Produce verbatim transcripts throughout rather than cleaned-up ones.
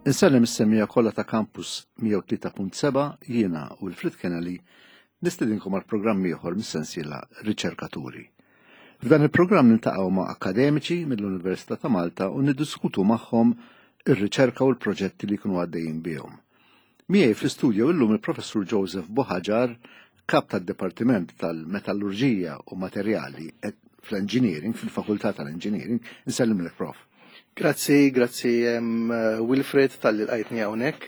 Insellem is-semmiegħa kollha ta' Campus mija u tlieta punt seba'. Jiena Wilfred Kennelly nistedinkom għal programm ieħor mis-sensiela Riċerkaturi. F'dan il-programm niltaqgħu ma' akademiċi mill-Università ta' Malta u niddiskutu magħhom ir-riċerka u l-proġetti li jkunu għaddejjin bihom. Miegħi fl-istudio illum il-Professur Joseph Buhagiar, kap tad-Dipartiment tal-Metallurġija u Materjali fl-Engineering, fil-Fakultà tal-Engineering. Nsellimlek, Prof. Grazzi, grazzi Wilfred talli lqajtni hawnhekk.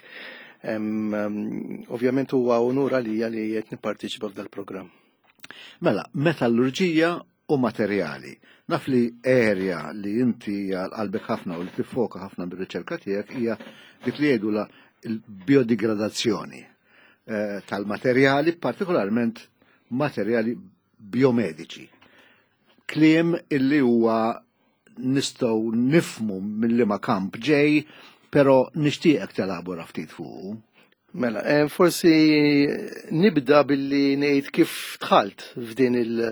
Ovvjament huwa unur għalija li qed nipparteċipa f'dal-programm. Mela, metallurġija u materjali. Naf li area li inti għal qalbek ħafna u li tiffoka ħafna bir-riċerka tiegħek hija dik li jgħidu l-biodigradazzjoni eh, tal-materjali, partikolarment materjali biomediċi. Kliem illi huwa nistgħu nifhmu mill-liema kamp ġej, pero nixtieqek telabora ftit fuq. Mela, eh, forsi nibda billi ngħid kif dħalt f'din il-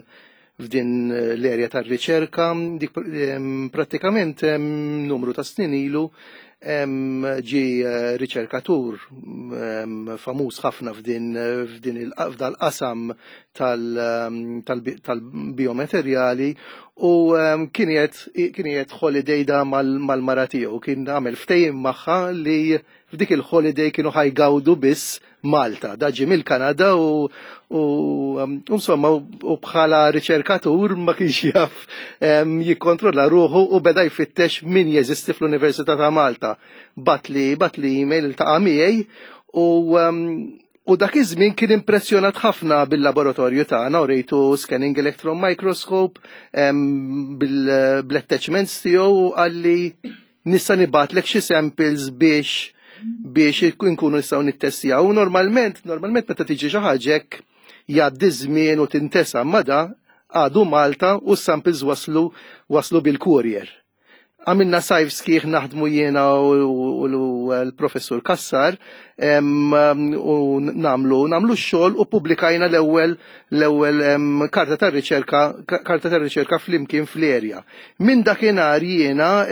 f'din l-erja tar-riċerka. Dik prattikament numru ta' snin ilu ġi eh, riċerkatur famuż ħafna f'din f'din f'dal-qasam tal-biomaterjali u kien qiegħed holiday da mal-mara tiegħu, kien għamel ftehim magħha li f'dik il-holiday kienu ħa jgawdu biss Malta. Da ġie mill-Kanada u insomma u bħala riċerkatur ma kienx jaf jikkontrolla ruħu u beda jfittex min jeżisti fl-Università ta' Malta. Bagħatli bagħatli email, iltaqa' miegħi u U dak iż-żmien kien impressjonat ħafna bil-laboratorju tagħna u rejtu scanning electron microscope bil-attachments tiegħu u qalli, "Nista' nibgħatlek xi samples biex biex nkunu nistgħu nittestjaw?" U normalment, normalment meta tiġi xi ħaġa hekk jgħaddi żmien u tintesa, ma da għadu Malta u s-samples waslu waslu bil-courier. Għamilna sajf sħiħ naħdmu jiena u l-professur Kassar u nagħmlu nagħmlu x-xogħol u publikajna l-ewwel l-ewwel karta tar-riċerka karta tar-riċerka flimkien fl-erja. Minn dakinhar jiena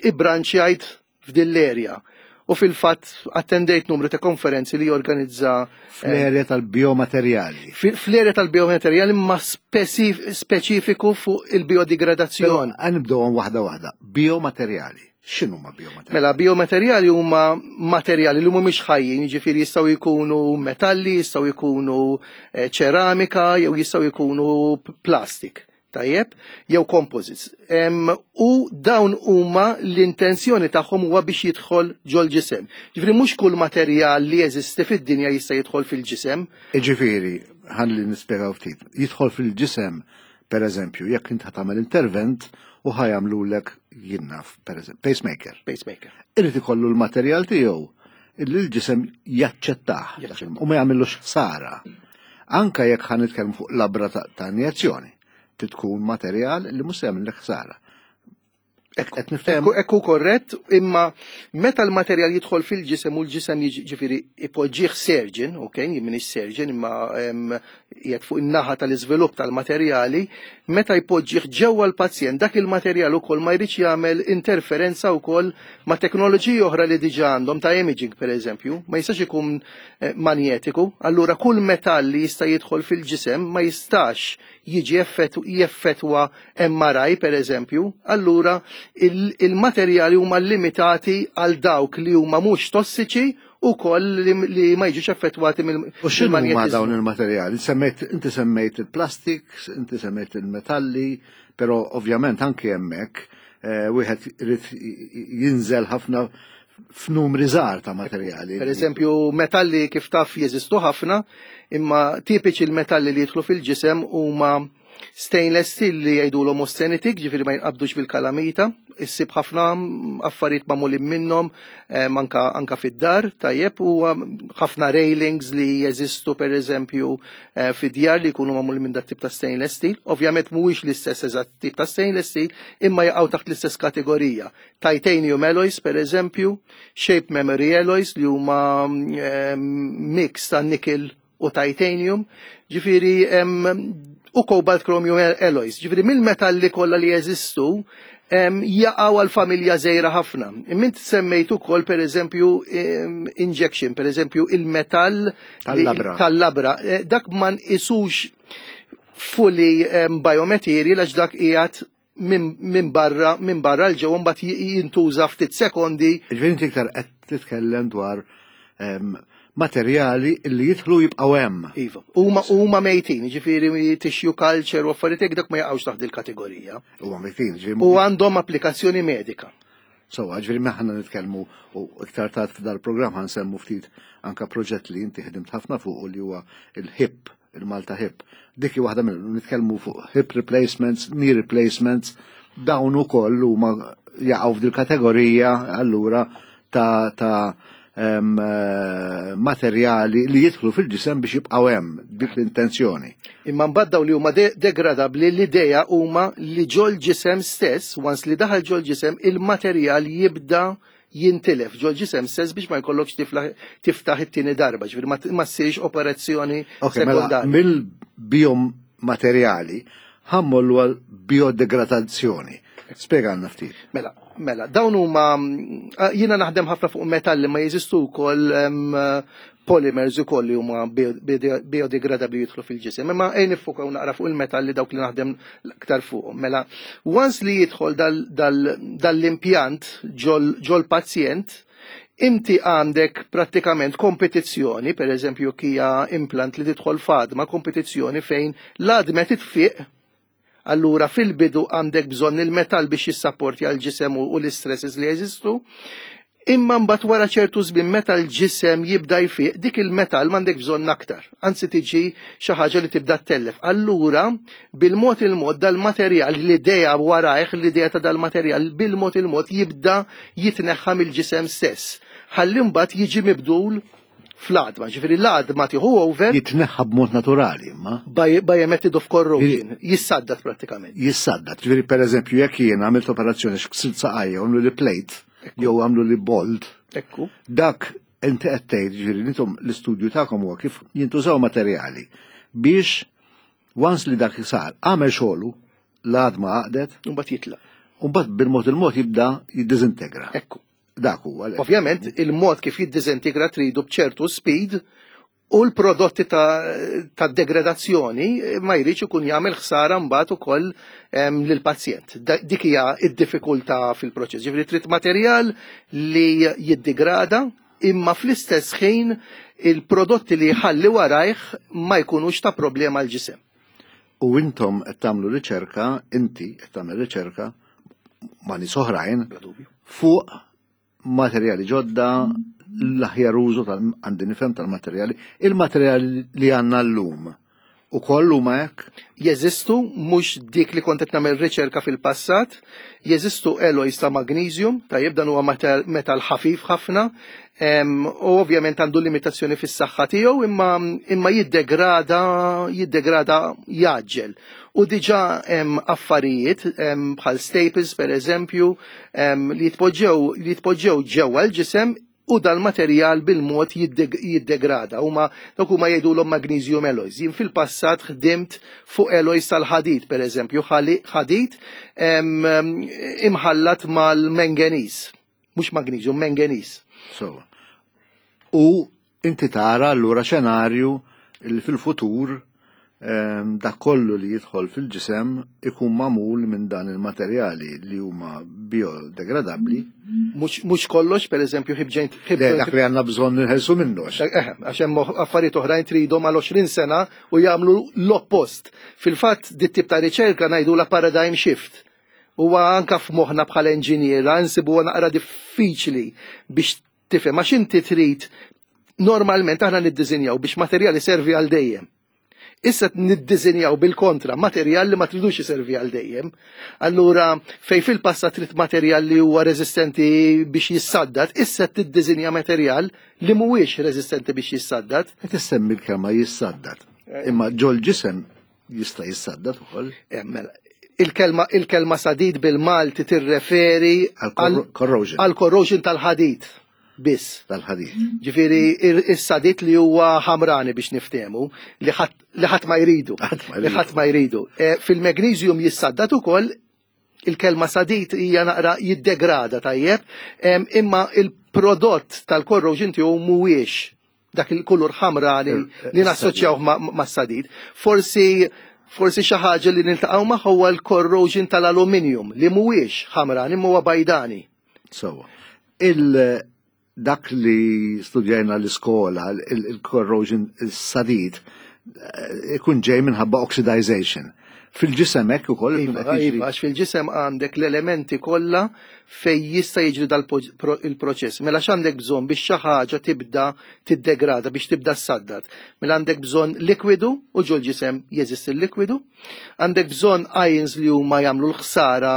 ibbranċjajt f'din l-erja. U fil-fatt attendejt numru ta' konferenzi li jorganizza Fl-erja tal-biomaterjali. Fl-erja tal-biomaterjali, ma speċifiku fuq il-biodigradazzjoni. Ħa nibdew waħda waħda. Biomaterjali. X'inhuma biomaterjali? Mela, biomaterjali huma materjali li mhumiex ħajjin, jiġifieri jistgħu jkunu metalli, jistgħu jkunu eh, ċeramika, jew jistgħu jkunu plastik. Tajjeb, jew composites. Em, u dawn huma l-intenzjoni tagħhom huwa biex jidħol ġol ġisem. Ġifieri mhux kull materjal li jeżisti fid-dinja jista' jidħol fil-ġisem. Ġifieri, ħalli nispjegaw ftit. Jidħol fil-ġisem, per eżempju, jekk int tagħmel intervent u ħa jagħmlulek, jien naf, per eżempju, pacemaker. Pacemaker. Irid ikollu l-materjal tiegħu illi l-ġisem jaċċettah u ma jagħmillux ħsara. Anka jekk ħa nitkellmu fuq labra ta' ta' injezzjoni, tkun materjal li mhux se jagħmellek ħsara. Qed niftehmu? Ekku, ekku korrett, imma meta l-materjal jidħol fil-ġisem u l-ġisem jiġifieri ipoġġih surgeon, ok, jien m'iniex surgeon imma qiegħed fuq in-naħa tal-iżvilupp tal-materjali, meta jpoġġih ġewwa l-pazjent, dak il-materjal ukoll ma jridx jagħmel interferenza wkoll ma' teknoloġiji oħra li diġà għandhom ta' imaging, pereżempju, ma jistax ikun eh, manjetiku, allura kull metall li jista' jidħol fil-ġisem ma jistax jiġi jeffettwa M R I, per eżempju, allura il-materjali huma limitati għal dawk li huma mhux tossiċi u koll li, li ma jiġux effettwati mill U x'inhu huma dawn il-materjali? Semmejt, inti semmejt il-plastik, inti semmejt il-metalli, però ovvjament anke hemmhekk eh, wieħed irid jinżel ħafna f'numri żgħar ta' materjali. Per eżempju, metalli kif taf jeżistu ħafna, imma tipiċi l-metalli li jidħlu fil-ġisem huma stainless steel li jgħidulhom austenitic, ġifieri ma jinqabdux bil-kalamita, issib ħafna affarijiet magħmulin minnhom anka, anka fid-dar, tajjeb, u ħafna railings li jeżistu, per eżempju, eh, fid-djar li jkunu magħmulin minn dak tip ta' stainless steel. Ovvjament mhuwiex l-istess eżatt tip ta' stainless steel, imma jaqgħu taħt l-istess kategorija. Titanium alloys, per eżempju, shape memory alloys li huma mix ta' nickel u titanium, ġifieri u cobalt chromium alloys. Ġifieri mill-metalli kollha li jeżistu, Jaqgħu għal familja żgħira ħafna. Imma semmejt ukoll, pereżempju, injection, pereżempju il-metall tal-labra. Tal-labra. Eh, dak ma nqisux fully biomaterial għax dak qiegħed minn barra minn barra 'l ġewwa, mbagħad jintuża ftit sekondi. Ġifieri inti iktar qed titkellem dwar materjali li jidħlu jibqgħu hemm. Iva. Huma huma mejtin, ġifieri tissue culture u affarijiet dak ma jaqgħux taħt il-kategorija. Huma mejtin, ġifieri. U għandhom applikazzjoni medika. So, ġifieri aħna nitkellmu u iktar tard f'dal-programm ħa nsemmu ftit anka proġett li inti ħdimt ħafna fuq li huwa il-HIP, il-Malta HIP. Dik hi waħda mill nitkellmu fuq hip replacements, knee replacements, dawn ukoll huma jaqgħu f'dil kategorija allura ta' ta' eh, materjali li jidħlu fil-ġisem biex jibqgħu hemm, dik l-intenzjoni. Imma mbagħad dawn li huma degradabbli, l-idea huma li ġol ġisem stess, once li daħal ġol ġisem, il-materjal jibda jintilef ġol ġisem stess biex ma jkollokx tiftaħ it-tieni darba, ġifieri ma ssirx operazzjoni okay, mela, mill-biomaterjali ħa mmorru għal biodegradazzjoni. Spjega ftit. Mela, mela, dawn huma, jiena naħdem ħafna fuq metalli, ma jeżistu wkoll polymers ukoll li huma biodegradabbli jidħlu fil-ġisem. Imma ejja niffukaw naqra fuq il-metalli, dawk li naħdem aktar fuqhom. Mela, once li jidħol dal-impjant ġol pazjent, inti għandek prattikament kompetizzjoni, per eżempju kija implant li tidħol f'għadma, kompetizzjoni fejn l-għadma titfiq. Allura fil-bidu għandek bżonn il-metall biex jissapporti għal-ġisem u l-istresses li jeżistu. Imma mbagħad wara ċertu żmien, meta l-ġisem jibda jfiq, dik il-metall m'għandek bżonn aktar. Anzi tiġi xi ħaġa li tibda ttellef. Allura bil-mod il-mod dal-materjal, l-idea warajh, l-idea ta' dal-materjal bil-mod il-mod jibda jitneħħa mill-ġisem stess. Ħalli mbagħad jiġi mibdul fl-għadma, ġifieri l-għadma tieħu over. Jitneħħa b'mod naturali, imma. By, by a method of corrosion, jissaddat prattikament. Jissaddat, ġifieri per eżempju jekk jien għamilt operazzjoni, ksirt saqajja, għamlu li plate, jew għamlu li bolt. Ekku. Dak inti qed tgħid, ġifieri intom l-istudju tagħkom huwa kif jintużaw materjali biex once li dak sar għamel xogħlu, l-għadma għaqdet, Mbagħad jitlaq. U mbagħad bil-mod il-mod jibda jiddiżintegra. Ekku. Dak huwa. Ovvjament, il-mod kif jiddiżintegra tridu b'ċertu speed u l-prodotti ta', ta degradazzjoni ma jridx ikun jagħmel ħsara mbagħad ukoll lill-pazjent. Dik hija d-diffikultà fil-proċess. Ġifieri trid materjal li jiddegrada imma fl-istess ħin il-prodotti li jħalli warajh ma jkunux ta' problema l-ġisem. U intom qed tagħmlu riċerka, inti qed tagħmel riċerka ma' nies oħrajn fuq materjali ġodda, l-aħjar użu għandi nifhem tal-materjali, il-materjali li għandna llum. U kollu ma hekk? Jeżistu, mhux dik li kont qed nagħmel riċerka fil-passat, jeżistu alloys ta' magnesium, tajjeb, dan huwa metal ħafif ħafna, u ovvjament għandu limitazzjoni fis-saħħa tiegħu, imma imma jiddegrada jiddegrada jaġġel. U diġà hemm affarijiet bħal staples, per eżempju, li jitpoġġew li jitpoġġew ġewwa l-ġisem u dal-materjal bil-mod jiddegrada. Huma dawk huma jgħidulhom magnesium alloys. Jien fil-passat ħdimt fuq alloys tal-ħadid, per eżempju, ħadid imħallat mal-manganese. Mhux magnesium, manganese. So, u inti tara allura xenarju li fil-futur dak kollu li jidħol fil-ġisem ikun magħmul minn dan il-materjali li huma biodegradabbli. Mhux kollox, per eżempju, hip joint. Dak li għandna bżonn nħelsu minnu. Eh, għax hemm affarijiet oħrajn tridhom għal għoxrin sena u jagħmlu l-oppost. Fil-fatt dit tip ta' riċerka ngħidu la paradigm shift. Huwa anka f'moħħna bħala inġiniera nsibuha naqra diffiċli biex tifhem, għax inti trid, normalment aħna niddiżinjaw biex materjali servi għal dejjem. Issa niddiżinjaw bil-kontra, materjal li ma tridux iservi għal dejjem. Allura, fej fil-passat trid materjal li huwa reżistenti biex jissaddat, issa tiddiżinja materjal li mhuwiex reżistenti biex jissaddat. Qed issemmi l-kelma jissaddat. Imma ġol ġisem jista' jissaddat ukoll. Eh, mela, il-kelma, il-kelma sadid bil-Malti tirreferi għal corrosion. Għal corrosion tal-ħadid biss. Tal-ħadid. Ġifieri is-sadid li huwa ħamrani biex niftehmu, li ħadd ma jridu. Ħadd ma Li ħadd ma jridu. Eh, fil-magnesium jissaddat ukoll, Il-kelma sadid hija naqra jiddegrada, tajjeb, imma il-prodott tal-corrosion tiegħu mhuwiex dak il-kulur ħamra li, li nassoċjaw ma' sadid. Forsi forsi xi ħaġa li niltaqgħu magħha huwa l-corrosion tal-aluminium li mhuwiex ħamrani, huwa bajdani. So, il dak li studjajna l-iskola, il-corrosion, il-sadid, ikun ġej minħabba oxidization. Fil-ġisem hekk ukoll. Iva, iva, għax fil-ġisem għandek l-elementi kollha fej jista' jiġri dal-proċess. Mela x'għandek bżonn biex xi ħaġa tibda tiddegrada, biex tibda ssaddad? Mela għandek bżonn likwidu, u ġol ġisem jeżisti l-likwidu. Għandek bżonn ions li huma jagħmlu l-ħsara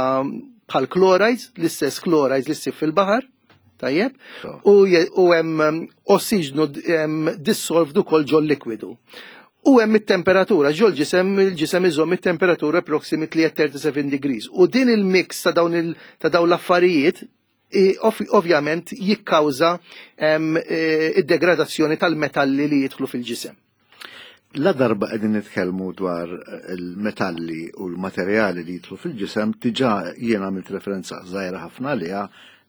bħal chlorides, l-istess chlorides li ssib fil-baħar. Tajjeb? U hemm ossiġnu dissolved ukoll ġol likwidu. U hemm it-temperatura, ġol ġisem, il-ġisem iżomm it-temperatura approximately at thirty-seven degrees. U din il-mix ta' dawn il, ta' dawn l-affarijiet ovvjament jikkawża id-degradazzjoni tal-metalli li jidħlu fil-ġisem. La darba qegħdin nitkellmu dwar il-metalli u l-materjali li jidħlu fil-ġisem, diġà jien għamilt referenza żgħira ħafna għaliha,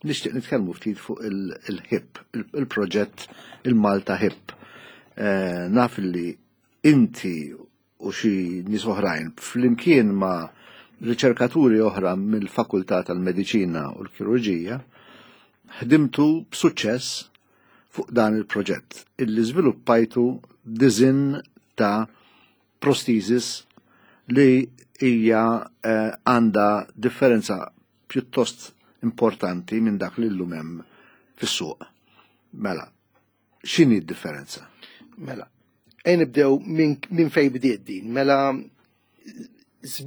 nixtieq nitkellmu ftit fuq il-HIP, il-proġett il-Malta HIP. Naf li inti u xi nies oħrajn flimkien ma' riċerkaturi oħra mill-Fakultà tal-Mediċina u l-Kirurġija ħdimtu b'suċċess fuq dan il-proġett illi żviluppajtu design ta' prosthesis li hija għandha differenza pjuttost importanti minn dak li llum hemm fis-suq. Mela, x'inhi d-differenza? Mela, ejn nibdew minn fejn bdiet din. Mela,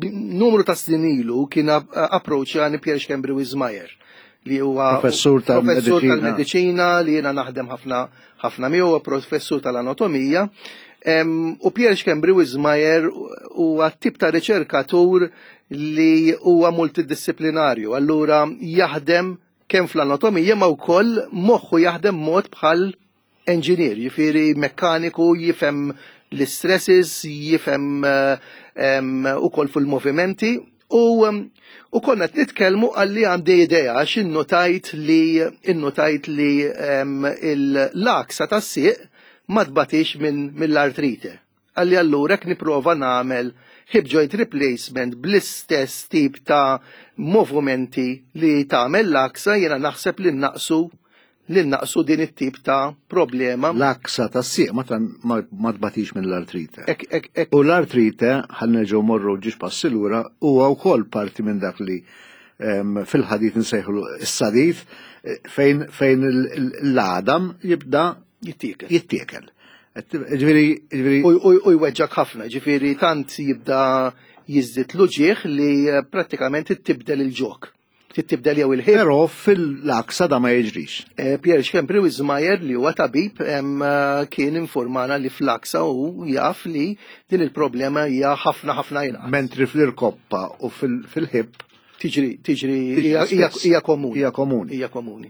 numru ta' snin ilu kien approachjani Pierre Schembri Wismayer, li huwa professur tal-mediċina li jiena naħdem ħafna ħafna miegħu, professur tal-anatomija. U Pierre Schembri Wismayer huwa tip ta' riċerkatur li huwa multidisciplinarju, allura jaħdem kemm fl-anatomija ma wkoll moħħu jaħdem mod bħal engineer, jifieri mekkaniku, jifhem l-stresses, jifhem ukoll fil-movimenti. U, u konna qed nitkellmu għalli għandi idea għax innotajt li innotajt li l-aksa tas-sieq ma tbatix minn mill-artrite. Għalli allura jekk nipprova nagħmel hip joint replacement bl-istess tip ta' movimenti li tagħmel l-aksa, jiena naħseb li naqsu li naqsu din it-tip ta' problema. L-aksa ta' sieq ma tbatix minn l-artrite. U l-artrite, ħa nerġgħu morru ġiex passi lura, huwa wkoll parti minn dak li fil-ħadid nsejħlu s-sadid, fejn fejn l-għadam jibda jittiekel. Jittiekel. Ġifieri, ġifieri. U jweġġak ħafna, ġifieri tant jibda jiżdied l-uġieħ li prattikament tibdel il-ġok. Tibdel jew il-ħin. Però fil-aksa da ma jiġrix. Pierre Schembri Wismayer li huwa tabib kien informana li fl-aksa u jaf li din il-problema hija ħafna ħafna inqas. Mentri fl-irkoppa u fil-ħib tiġri tiġri hija komuni. Hija komuni. Hija komuni.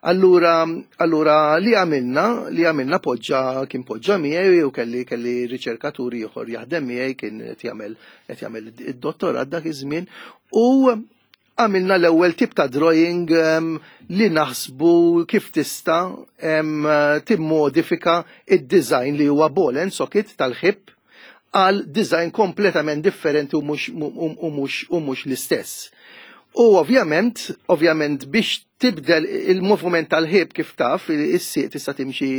Allura, allura li għamilna, li għamilna poġġa, kien poġġa miegħi u kelli kelli riċerkaturi ieħor jaħdem miegħi, kien qed jagħmel qed jagħmel id-dottorat dak iż-żmien, u għamilna l-ewwel tip ta' drawing um, li naħsbu kif tista' um, timmodifika id-design li huwa ball and socket tal-ħib għal design kompletament differenti u mhux u mhux u mhux l-istess. U ovvjament, ovvjament biex tibdel il-movement tal-ħib, kif taf, is-sieq tista' timxi,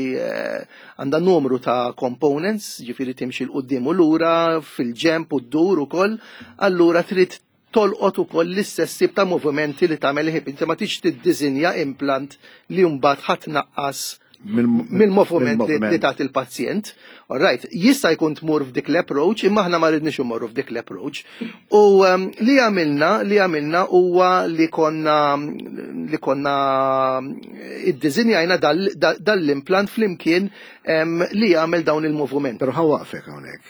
għandha numru ta' components, ġifieri timxi 'l quddiem u lura, fil-ġemp u ddur ukoll, allura trid tolqot ukoll l-istess tip ta' movimenti li tagħmel il-ħib. Inti ma tix tiddisinja implant li mbagħad ħadd naqqas mill-moviment li tagħti il-pazjent. All right, jista' jkun tmur f'dik l-approach, imma aħna ma rridniex immorru f'dik l-approach. U um, li għamilna, li għamilna huwa li konna li konna iddiżinjajna dal-implant flimkien um, li jagħmel dawn il-moviment. Però ħa waqfek hawnhekk.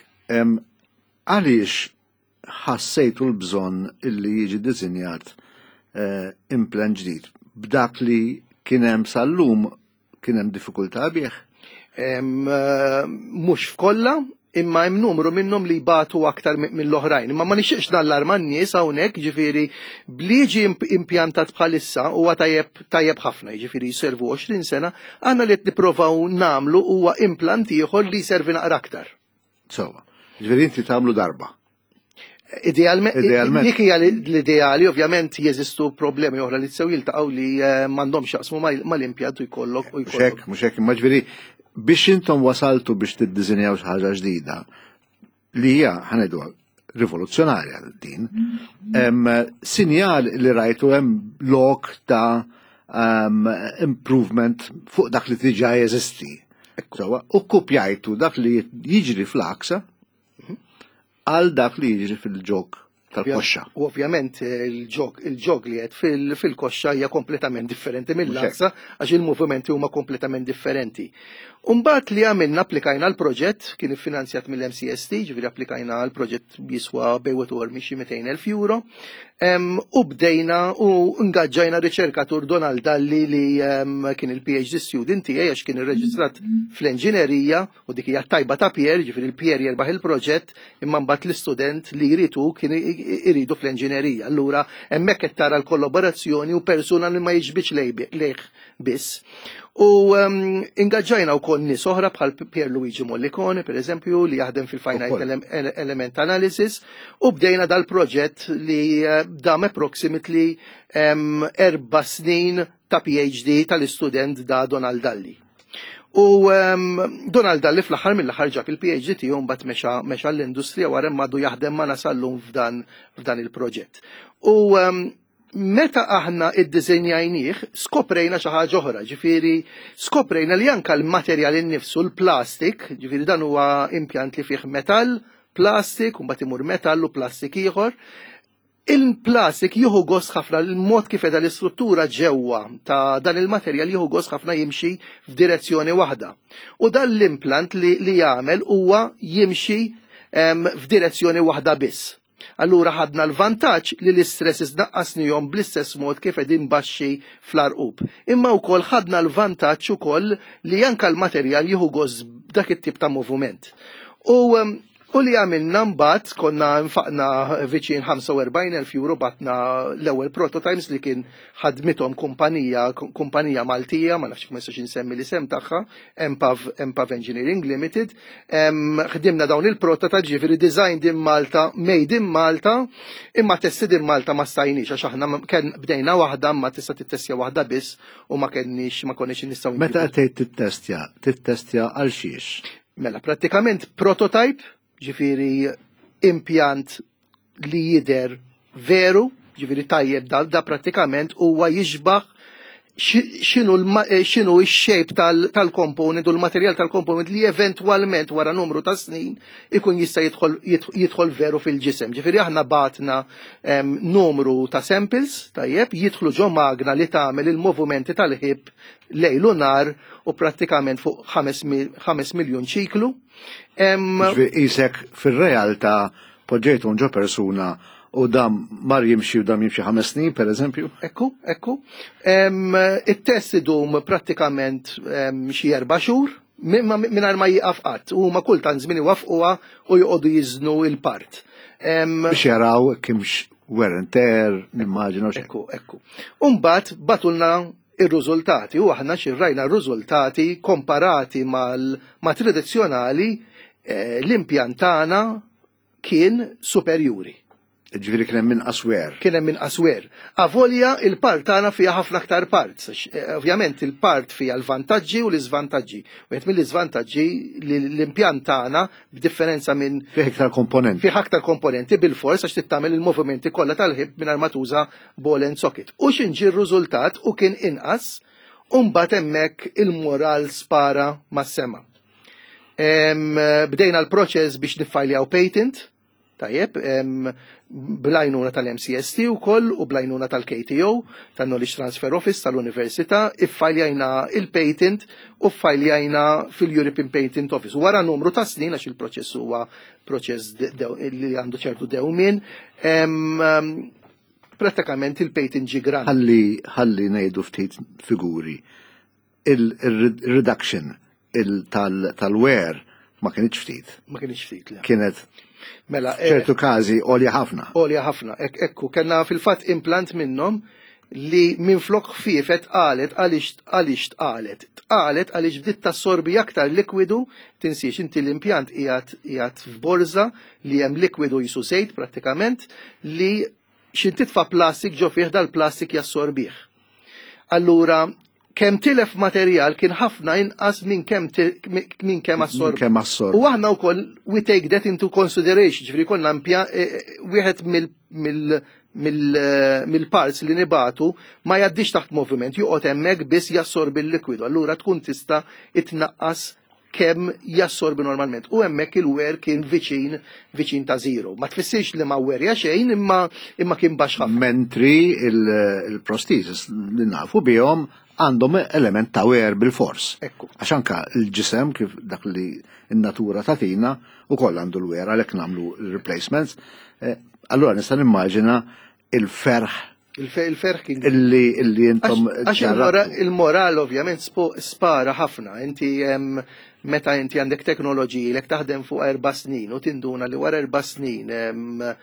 Għaliex ħassejtu l-bżonn illi jiġi diżinjat uh, implant ġdid b'dak li kien hemm sal-lum kien hemm diffikultà bih? Mhux f'kollha, Imma hemm numru minnhom li jbatu aktar mill-oħrajn. Imma ma nixtieqx nallarma n-nies hawnhekk, ġifieri bliġi impjantat bħalissa huwa tajjeb tajjeb ħafna, jiġifieri jservu għoxrin sena, għandna li qed nipprovaw nagħmlu huwa implant ieħor li jservi naqra aktar. Sewwa. Ġifieri inti tagħmlu darba. Idealment, dik hija l-ideali, ovvjament jeżistu problemi oħra li tsew jiltaqgħu li m'għandhomx jaqsmu mal-impjant u jkollok u jkollok. Mhux hekk, mhux hekk, imma ġifieri biex intom wasaltu biex tiddiżinjaw xi ħaġa ġdida li hija ħa ngħidu rivoluzzjonarja din, sinjal li rajtu hemm lok ta' improvement fuq dak li diġà jeżisti. Sewwa, u kkupjajtu dak li jiġri fl-għaksa għal dak li jiġri fil-ġog tal-koxxa. U ovvjament il-ġog il-ġog li qed fil-koxxa hija kompletament differenti mill-għaksa għax il-movimenti huma kompletament differenti. Umbagħad li għamilna applikajna l-proġett, kien iffinanzjat mill-M C S T, ġifieri applikajna l-proġett jiswa bejn wieħed u mitejn elf euro, u bdejna u ngaġġajna riċerkatur Donald Dalli li kien il-P H D student tiegħi għax kien irreġistrat fl-enġinerija, u dik hija tajba ta' Pierre, ġifieri il-Pierre jerbaħ il-proġett imma mbagħad l-istudent li jridu kien iridu fl-enġinerija. Allura hemmhekk qed tara l-kollaborazzjoni u persuna li ma jiġbidx lejh biss. U ingaġġajna wkoll nies oħra bħal Pier Luigi Mollicone, per eżempju, li jaħdem fil-Finite Element Analysis, u bdejna dal-proġett li dam approximately erba' snin ta' P H D tal-istudent da Donald Dalli. U Donald Dalli fl-aħħar mill-aħħar ġab il-P H D tiegħu, mbagħad mexa mexa l-industrija wara għadu jaħdem ma sal-lum f'dan f'dan il-proġett. U meta aħna iddiżenjajnieh, skoprejna xi ħaġa oħra, ġifieri skoprejna li anke l-materjal innifsu, l-plastik, ġifieri dan huwa impjant li fih metall, plastik, u mbagħad imur metall u plastik ieħor. Il-plastik jieħu gost ħafna, il-mod kif qiegħda l-istruttura ġewwa ta' dan il-materjal jieħu gost ħafna jimxi f'direzzjoni waħda. U dan l-implant li, li jagħmel huwa jimxi f'direzzjoni waħda biss. Allura ħadna l-vantaġġ li l-istresses naqqasnihom bl-istess mod kif qegħdin baxxi fl-arqub. Imma wkoll ħadna l-vantaġġ ukoll li anke l-materjal jieħu gost dak it-tip ta' moviment. U U li għamilna mbagħad konna nfaqna viċin ħamsa u erbgħin elf euro, bgħatna l-ewwel prototypes li kien ħadmithom kumpanija kumpanija Maltija, ma nafx ma nistax insemmi l-isem tagħha, Empav, Empav Engineering Limited. Ħdimna dawn il-prototypes, ġifieri designed in Malta, made in Malta, imma tested in Malta ma stajniex għax aħna kien bdejna waħda, ma tista' tittestja waħda biss u ma kenniex ma konniex nistgħu. Meta qed tittestja, tittestja għal xiex? Mela, prattikament prototype, ġifieri impjant li jider veru, ġifieri tajjeb da, da prattikament huwa jixbaħ x'inhu x'inhu x-shape tal-component u l-materjal tal-component li eventwalment wara numru ta' snin ikun jista' jidħol jidħol veru fil-ġisem. Ġifieri aħna bgħatna numru ta' samples, tajjeb, jidħlu ġo magna li tagħmel il-movimenti tal-hip lejl u nhar u prattikament fuq ħames miljun ċiklu. Isek fil-realtà poġġejtu ġo persuna u dam mar jimxi u dam jimxi ħames snin, per eżempju? Ekku, ekku. Il-test idum prattikament xi erba' xhur, mingħajr ma jieqaf qatt. U ma kultant żmien iwaffquha u joqogħdu jiżnu il-part. Biex jaraw kienx wear and tear, nimmaġinu. Ekku, ekku. Umbagħad bagħtulna ir-riżultati u aħna xirrajna r-riżultati komparati mal ma tradizzjonali, eh, l-impjant tagħna kien superjuri. Ġifieri kien hemm inqas wear. Kien hemm inqas wear. Avolja il-part tagħna fiha ħafna aktar parts. Eh, ovvjament il-part fiha l-vantaġġi u l-iżvantaġġi. Wieħed mill-iżvantaġġi li l-impjant tagħna b'differenza minn Fih iktar komponenti. Fih aktar komponenti bil-fors għax tittamel il-movimenti kollha tal-hip mingħajr ma tuża ball and socket. U x'inġi r-riżultat u kien inqas, u mbagħad hemmhekk il-moral spara mas-sema. Bdejna l-proċess biex niffajljaw patent, tajjeb, bl-għajnuna tal-M C S T u koll u bl-għajnuna tal-K T O, tal-Knowledge Transfer Office tal-Università, iffajljajna il-patent u ffajljajna fil-European Patent Office. Wara numru ta' snin, għax il-proċess huwa proċess li għandu ċertu dewmien, prattikament il-patent ġi granted. Ħalli ħalli ngħidu ftit figuri. Il-reduction tal-wear Ma kienx ftit. Ma kienx ftit, le. Kienet Mela, ċertu każi għolja ħafna. Għolja ħafna. Ekku, kellna fil-fatt implant minnhom li minn flok ħfiefet tqalet għaliex għaliex tqalet. Tqalet għaliex bdiet tassorbi aktar likwidu, tinsiex inti l-impjant qiegħed qiegħed f'borza li hemm likwidu qisu żejt prattikament li x'ħin titfa' plastik ġo fih, dal-plastik jassorbih. Allura, kemm tilef materjal kien ħafna inqas minn kemm minn kemm assorb. Kemm assorb. U aħna wkoll we take that into consideration, ġifieri konna impja wieħed mill mill mill-parts li nibagħtu ma jgħaddix taħt moviment, joqgħod hemmhekk biss jassorbi l-likwidu. Allura tkun tista' itnaqqas kemm jassorbi normalment. U hemmhekk il-wear kien viċin viċin ta' zero. Ma tfissirx li ma werja xejn, imma imma kien baxx ħafna. Mentri il-prosthesis li nafu bihom għandhom element ta' wear bil-fors. Ekku. Għax anka il-ġisem, kif dak li n-natura tatina, u koll għandu l-wear, għalhekk nagħmlu replacements. Eh, allura nista' nimmaġina il-ferħ Il-ferħ kien illi illi intom Għax il-moral ovvjament spara ħafna. Inti meta inti għandek teknoloġiji li taħdem fuq erba' snin u tinduna li wara erba' snin eh,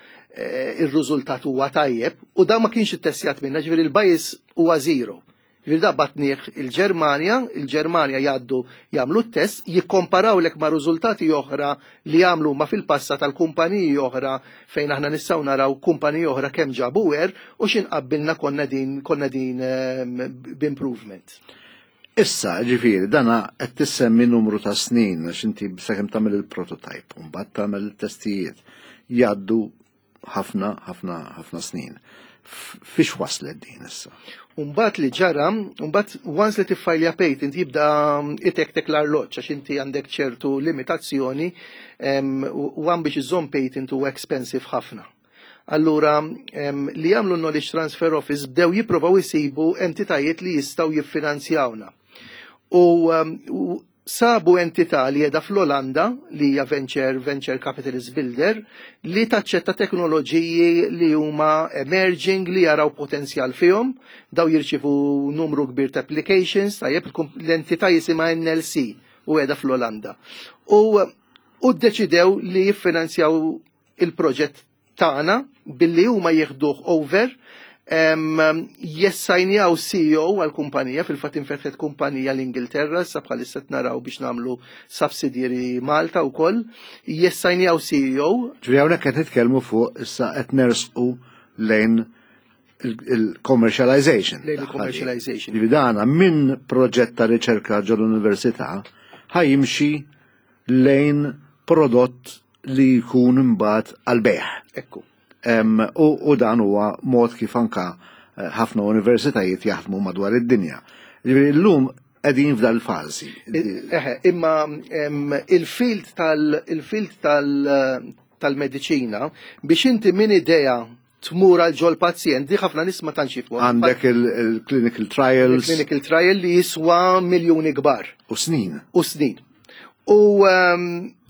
ir-riżultat huwa tajjeb u da ma kienx ittestjat minna, ġifieri il-bias huwa zero. Ġifieri da bgħatnieh il-Ġermanja, il-Ġermanja jgħaddu jagħmlu t-test, jikkomparawlek ma' riżultati oħra li jagħmlu ma fil-passat tal-kumpaniji oħra, fejn aħna nistgħu naraw kumpaniji oħra kemm ġabu wear u x'inqabbilna konna din konna din b'improvement. Issa, ġifieri, dana qed tissemmi numru ta' snin, għax inti sakemm tagħmel il-prototype, u mbagħad tagħmel il-testijiet, jgħaddu ħafna, ħafna, ħafna snin. Fiex waslet din issa? Umbat li ġara, umbat once li tiffajlja patent jibda itektek l-arloġġ, għax inti għandek ċertu limitazzjoni u għan biex iżomm patent u expensive ħafna. Allura, li jagħmlu Knowledge Transfer Office, bdew jipprovaw isibu entitajiet li jistgħu jiffinanzjawna. U sabu entità li qiegħda fl-Olanda, li hija venture, venture capitalist builder, li taċċetta teknoloġiji li huma emerging, li jaraw potenzjal fihom, daw jirċivu numru kbir ta' applications, tajjeb, l-entità jisimha N L C u qiegħda fl-Olanda. U u ddeċidew li jiffinanzjaw il-proġett tagħna billi huma jieħduh over, jassajnjaw C E O għal-kumpanija, fil-fatt infetħet kumpanija l-Ingilterra, sa bħalissa naraw biex nagħmlu subsidiary Malta u koll, jassajnjaw C E O. Ġifieri hawnhekk qed nitkellmu fuq issa qed nersqu lejn il-commercialization. Lejn il-commercialization. Ġifieri dana minn proġett ta' riċerka ġol-università ħa jimxi lejn prodott li jkun imbagħad għal-bejgħ. Ekku. U, u dan huwa mod kif anka eh, ħafna universitajiet jaħdmu madwar id-dinja. Ġifieri llum qegħdin f'dal fażi. Eħe, imma il-field tal il-field tal tal-mediċina biex inti minn idea tmur għal ġol pazjent, di ħafna nies ma tantx jifhmu. Għandek il-clinical trials. Il-clinical trial li jiswa miljuni kbar. U snin. U snin. U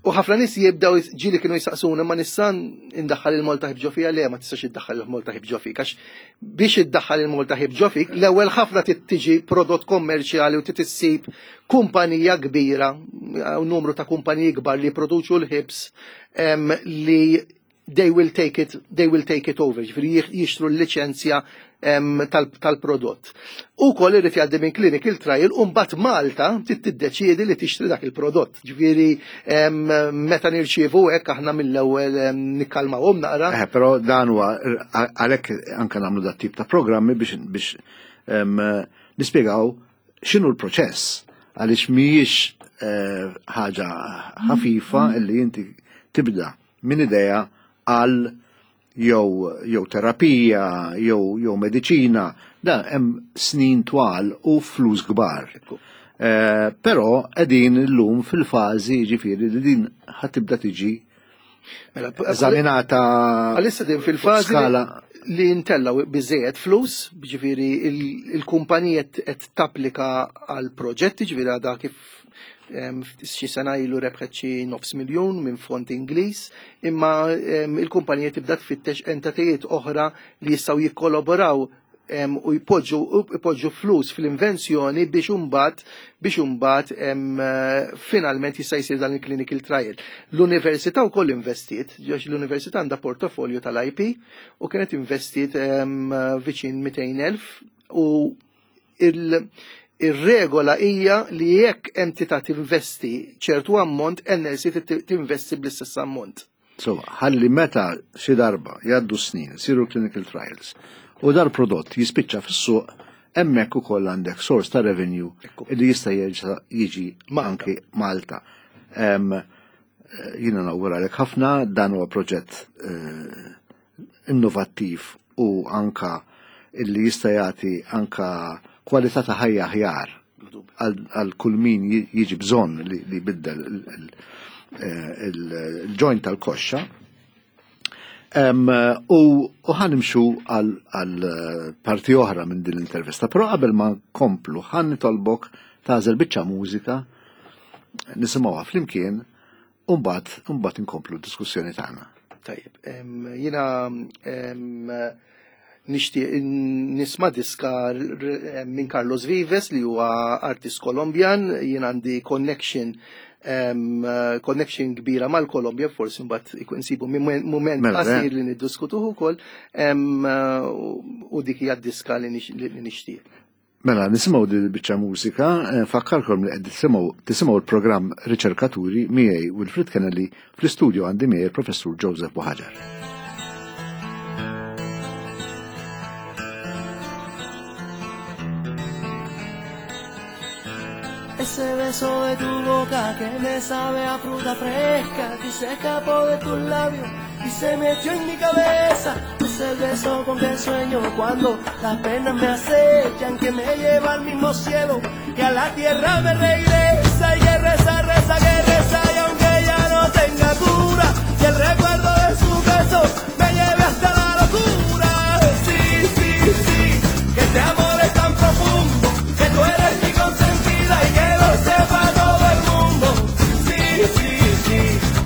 U ħafna nies jibdaw ġieli kienu jisaqsuna, "Ma nista' indaħħal il-Malta Hip ġo fija?" Le, ma tistax iddaħħal il-Malta Hip ġo fik, għax biex iddaħħal il-Malta Hip ġo fik, l-ewwel ħafna tiġi prodott kommerċjali u tissib kumpanija kbira, u numru ta' kumpaniji kbar li produċu l-hips li they will take it, they will take it over, ġifieri jixtru l-liċenzja tal-prodott. U koll irid jgħaddi minn clinical trial u mbagħad Malta tiddeċiedi li tixtri dak il-prodott. Ġifieri meta nirċievu hekk, aħna mill-ewwel nikkalmawhom naqra. Eh, però dan huwa għalhekk anke nagħmlu dat tip ta' programmi biex biex nispjegaw x'inhu l-proċess, għaliex mhijiex eh, ħaġa ħafifa illi inti tibda minn idea għal jew jew terapija jew jew mediċina, da hemm snin twal u flus kbar. Eh, però qegħdin illum fil-fażi, ġifieri, li din ħa tibda tiġi Mela, eżaminata għalissa din fil-fażi skala li ntellaw biżejjed flus, ġifieri il-kumpanija qed tapplika għal proġetti, ġifieri għadha kif em, xi sena ilu rebħet xi nofs miljun minn fond Ingliż, imma em, il-kumpanija tibda tfittex entitajiet oħra li jistgħu jikkolaboraw u jpoġġu jpoġġu flus fl-invenzjoni biex imbagħad biex imbagħad finalment jista' jsir dan il-clinical trial. L-università wkoll investiet, għax l-università għandha portofolju tal-I P u kienet investiet viċin mitejn elf u il- Ir-regola hija li jekk entità tinvesti ċertu ammont, N L C tinvesti bl-istess ammont. So, ħalli meta xi darba jgħaddu snin, isiru clinical trials, u dal-prodott jispiċċa fis-suq, hemmhekk ukoll għandek source ta' revenue li jista' jerġa' jiġi anki Malta. Jiena nawguralek ħafna, dan huwa proġett eh, innovattiv u anka illi jista' jagħti anka kwalità ta' ħajja aħjar għal kull min jiġi bżonn li jbiddel il-joint tal-koxxa. U ħa nimxu għal parti oħra minn din l-intervista, però qabel ma nkomplu ħa nitolbok tagħżel biċċa mużika nisimgħuha flimkien u mbagħad mbagħad inkomplu d-diskussjoni tagħna. Tajjeb, jiena nixtieq nisma' diska minn Carlos Vives li huwa artist Kolombjan, jien għandi connection connection kbira mal-Kolombja, forsi mbagħad ikun nsibu mument Mela, qasir eh. li niddiskutuh ukoll, u dik hija d-diska li nixtieq. Mela, nisimgħu din il-biċċa mużika, nfakkarkom li qed tisimgħu tisimgħu l-programm Riċerkaturi miegħi Wilfred Kennelly, fl-istudju għandi miegħi il-Professur Joseph Buhagiar. Ese beso de tu boca que me sabe a fruta fresca, que se escapó de tus labios y se metió en mi cabeza. Ese beso con que sueño cuando las penas me acechan, que me lleva al mismo cielo y a la tierra me regresa. Y que reza, reza, que reza, y aunque ya no tenga cura, y el recuerdo de su beso me lleve hasta la locura. Sí, sí, sí, que este amor es tan profundo, que tú eres mi consentida y que lo sepa todo el mundo. Sí, sí, sí,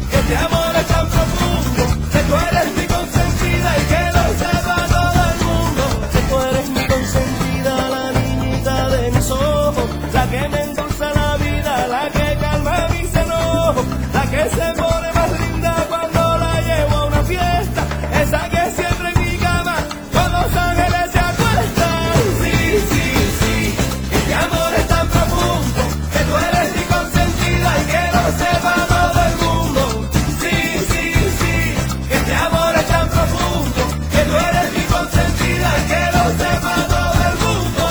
que este amor es tan profundo, que tú eres mi consentida y que lo sepa todo el mundo. Que tú eres mi consentida, la niñita de mis ojos, la que me endulza la vida, la que calma mis enojos, la que se pone más linda cuando la llevo a una fiesta, esa que siempre en mi cama con los ángeles se acuestan. Sí, sí, sí, que este amor es tan profundo, que tú eres mi consentida y que lo sepa todo el mundo. Sí, sí, sí, que este amor es tan profundo, que tú eres mi consentida y que lo sepa todo el mundo.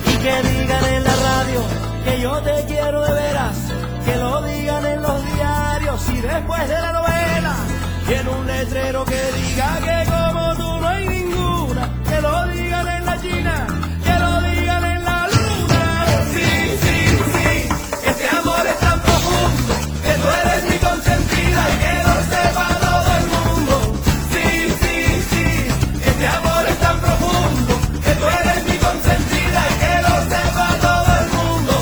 Y que digan en la radio que yo te quiero de veras, que lo digan en los diarios y después de la novela, y en un letrero que diga que como tú no hay ninguna, que lo digan en la China, que lo digan en la luna. Sí, sí, sí, este amor es tan profundo, que tú eres mi consentida y que lo sepa todo el mundo. Sí, sí, sí, este amor es tan profundo, que tú eres mi consentida y que lo sepa todo el mundo.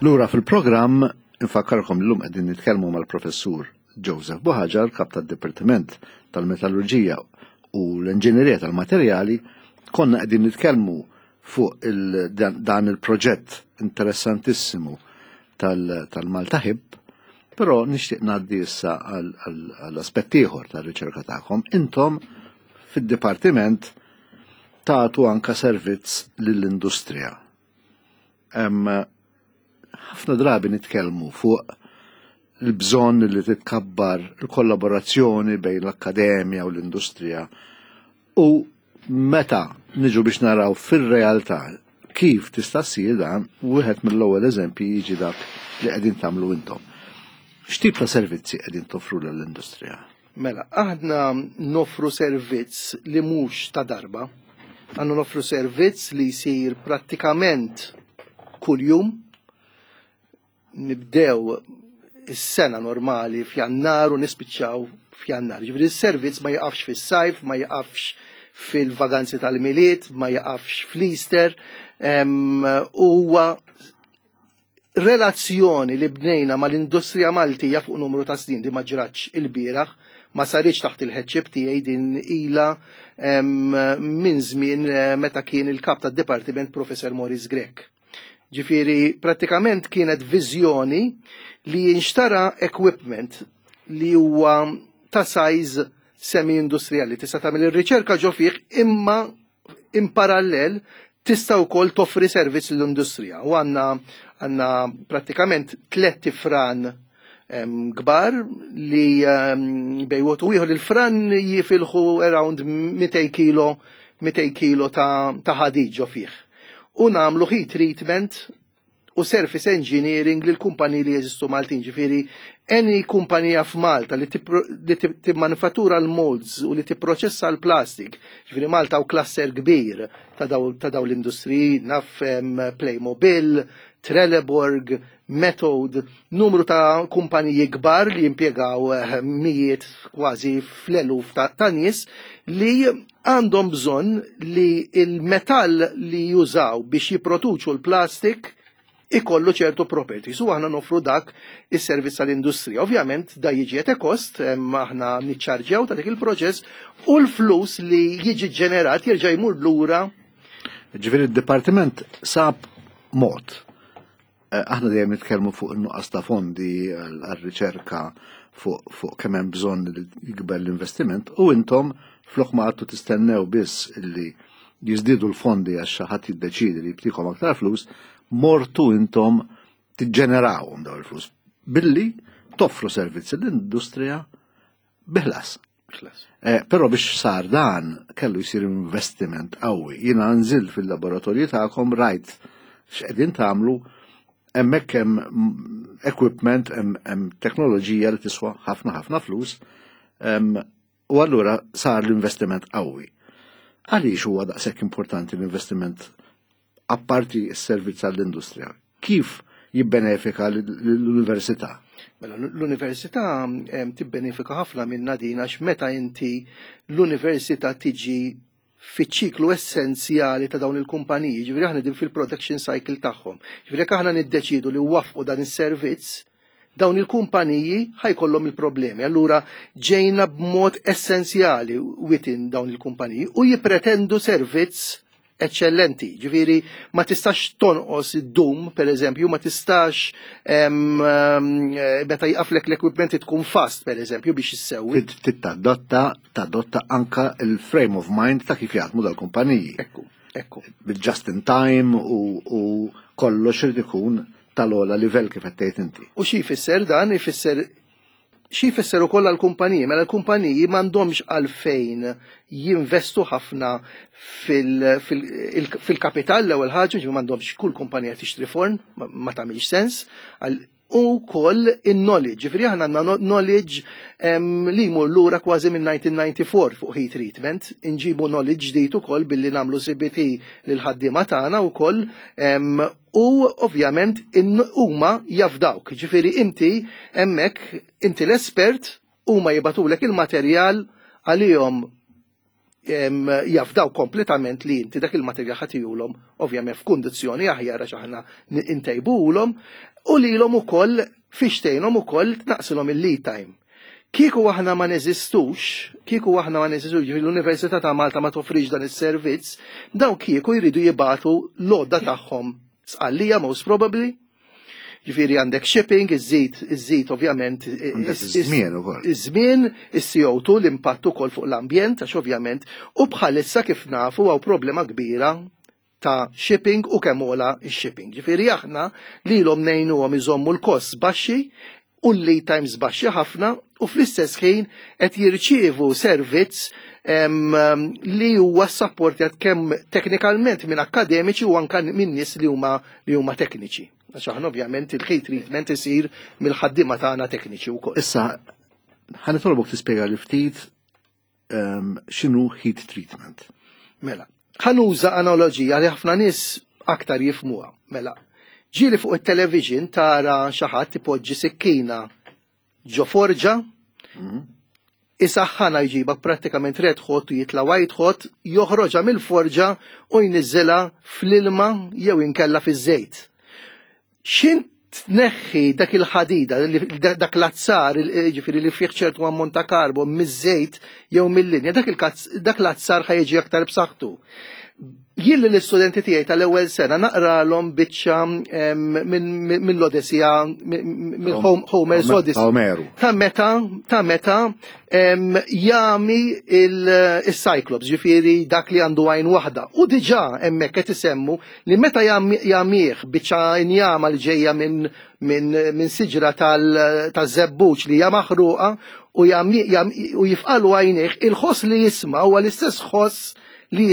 Lura fil-programm, infakkarkom l-lum qegħdin nitkellmu mal-professur Joseph Buhagiar, kap tad-Dipartiment tal-Metallurġija u l-Inġinerija tal-Materjali. Konna qegħdin nitkellmu fuq il dan il-proġett interessantissimu tal-Malta HIP, però nixtieq ngħaddi issa għall-aspett ieħor tar-riċerka tagħkom. Intom fid-dipartiment tagħtu anka servizz lill-industrija. Ħafna drabi nitkellmu fuq il-bżonn li titkabbar il-kollaborazzjoni bejn l-akkademja u l-industrija, u meta niġu biex naraw fir-realtà kif tista' ssir dan, wieħed mill-ewwel eżempji jiġi dak li qegħdin tagħmlu intom. X'tip ta' servizzi qegħdin toffru lill-industrija? Mela, aħna nofru servizz li mhux ta' darba, għandna nofru servizz li jsir prattikament kuljum. Nibdew is-sena normali f'Jannar u nispiċċaw f'Jannar. Ġifieri s-servizz ma jaqafx fis-sajf, ma jaqafx fil-vaganzi tal-Milied, ma jaqafx fl-Easter. Huwa relazzjoni li bnejna mal-industrija Maltija fuq numru ta' snin di ma ġratx il-bieraħ, ma saritx taħt il-headship tiegħi, din ilha minn żmien meta kien il-kap tad-dipartiment Professor Maurice Grech. Ġifieri, pratikament kienet viżjoni li jinxtara equipment li huwa ta' size semi-industrijali. Tista' tagħmel ir-riċerka ġo fih, imma in parallel tista' wkoll toffri servizz lill-industrija. U għandna għandna prattikament tliet ifran kbar li bejwot u ieħor il-fran jifilħu around mitejn kilo, mitejn kilo ta' ħadid ġo fih. U namlu heat treatment u surface engineering lil kumpaniji li jeżistu Maltin. Ġifieri, any kumpanija f'Malta li timmanufattura l-molds u li tipproċessa l-plastik, ġifieri Malta u cluster kbir ta' daw l-industriji, naf Playmobil, Trelleborg, Methode, numru ta' kumpaniji kbar li jimpjegaw mijiet kważi fl-eluf ta' nies li għandhom bżonn li il-metall li jużaw biex jipproduċu l-plastik ikollu ċertu properties. U aħna nofru dak is-servizz tal-industrija. Ovvjament da jiġi at a cost, aħna niċċarġjaw ta' dik il-proċess u l-flus li jiġi ġenerat jerġa' jmur lura. Ġifieri d-dipartiment sab mod. Aħna dejjem nitkellmu fuq in-nuqqas ta' fondi għar-riċerka, fuq kemm hemm bżonn li jikber l-investiment, u intom flok ma għadtu tistennew biss illi jiżdiedu l-fondi għax xi ħadd jiddeċiedi li jibtikom aktar flus, mortu intom tiġġenerawhom dawn il-flus billi toffru servizzi l-industrija biħlas. Però biex sar dan kellu jsir investiment qawwi. Jiena nżilt fil-laboratorju tagħkom, rajt x'qegħdin tagħmlu, hemmhekk hemm equipment, hemm teknoloġija li tiswa ħafna ħafna flus, u allura sar l-investiment qawwi. Għaliex huwa daqshekk importanti l-investiment apparti s-servizz għall-industrija? Kif jibbenefika l-università? Mela, l-università tibbenefika ħafna minna din, għax meta inti l-università tiġi fiċ-ċiklu essenzjali ta' dawn il-kumpaniji, ġifieri aħna din fil-production cycle tagħhom. Ġifieri jekk aħna niddeċidu li wafqu dan is-servizz, dawn il-kumpaniji ħajkollhom il-problemi. Allura ġejna b'mod essenzjali within dawn il-kumpaniji u jippretendu servizz eccellenti. Ġifieri ma tistax tonqos id-dum, per eżempju, ma tistax meta jqaflek l-equipment tkun fast, per eżempju, biex issewwi. Tadotta, tadotta anka il-frame of mind ta' kif jaħdmu dal-kumpaniji. Ekku, ekku. Bil-just in time u kollox irid ikun tal-ogħla livell kif qed tgħid inti. U xi jfisser dan? Ifisser xi jfisser ukoll għall-kumpaniji? Mela l-kumpaniji m'għandhomx għalfejn jinvestu ħafna fil-kapital l-ewwel ħaġa, ġifieri m'għandhomx kull kumpanija tixtri forn, ma tagħmilx sens, u wkoll in-knowledge, ġifieri aħna għandna knowledge li jmur lura kważi minn nineteen ninety-four fuq heat treatment, inġibu knowledge ġdid ukoll billi nagħmlu C B T lil ħaddiema tagħna wkoll, u ovvjament huma jafdawk, ġifieri inti hemmhekk inti l-espert, huma jibatulek il-materjal għalihom jafdaw kompletament li inti dak il-materjal ħa ttihulhom, ovvjament f'kundizzjoni aħjar għax aħna intejbuhulhom, u lilhom ukoll fiex tgħinhom ukoll tnaqsilhom il-lead time. Kieku aħna ma neżistux, kieku aħna ma neżistux, l-Università ta' Malta ma toffrix dan is-servizz, daw kieku jridu jibagħtu l-għodda tagħhom Sqallija, most probably. Ġifieri għandek shipping, iżżid, iżżid ovvjament. Iż-żmien ukoll. Iż-żmien, is-C O two, l-impatt ukoll fuq l-ambjent, għax ovvjament, u bħalissa kif nafu hawn problema kbira ta' shipping u kemm ogħla x-shipping. Ġifieri aħna lilhom ngħinuhom iżommu l-kost baxxi u l-lead times baxxi ħafna u fl-istess ħin qed jirċievu servizz li huwa supportjat kemm teknikalment minn akademiċi u anka minn nies li huma li huma tekniċi. Għax aħna ovvjament il-heat treatment isir mill-ħaddiema tagħna tekniċi wkoll. Issa, ħa nitolbok tispjega li ftit x'inhu heat treatment. Mela, ħa nuża analogija li ħafna nies aktar jifhmuha. Mela, ġieli fuq il-television tara xi ħadd ipoġġi sikkina ġo forġa, mhm. isaħħana, jġibha prattikament red hot u jitla white hot, joħroġha mill-forġa u jniżżilha fl-ilma jew inkella fiż-żejt. X'ħin tneħħi dak il-ħadida, dak l-azzar, ġifieri li fih ċertu ammont ta' karbon miż-żejt jew mill-linja, dak l-azzar ħa jiġi aktar b'saħħtu. Jien l-istudenti tiegħi tal-ewwel sena naqralhom biċċa mill-Odessija, minn Homer's Odyssey. Omeru. Ta' meta ta' meta jagħmi il-Cyclops, ġifieri dak li għandu għajn waħda. U diġà hemmhekk qed isemmu li meta jagħmih biċċa injama li ġejja minn minn siġra tal-żebbuġ li hija maħruqa u jifqagħlu għajnejh, il-ħoss li jisma' huwa l-istess ħoss li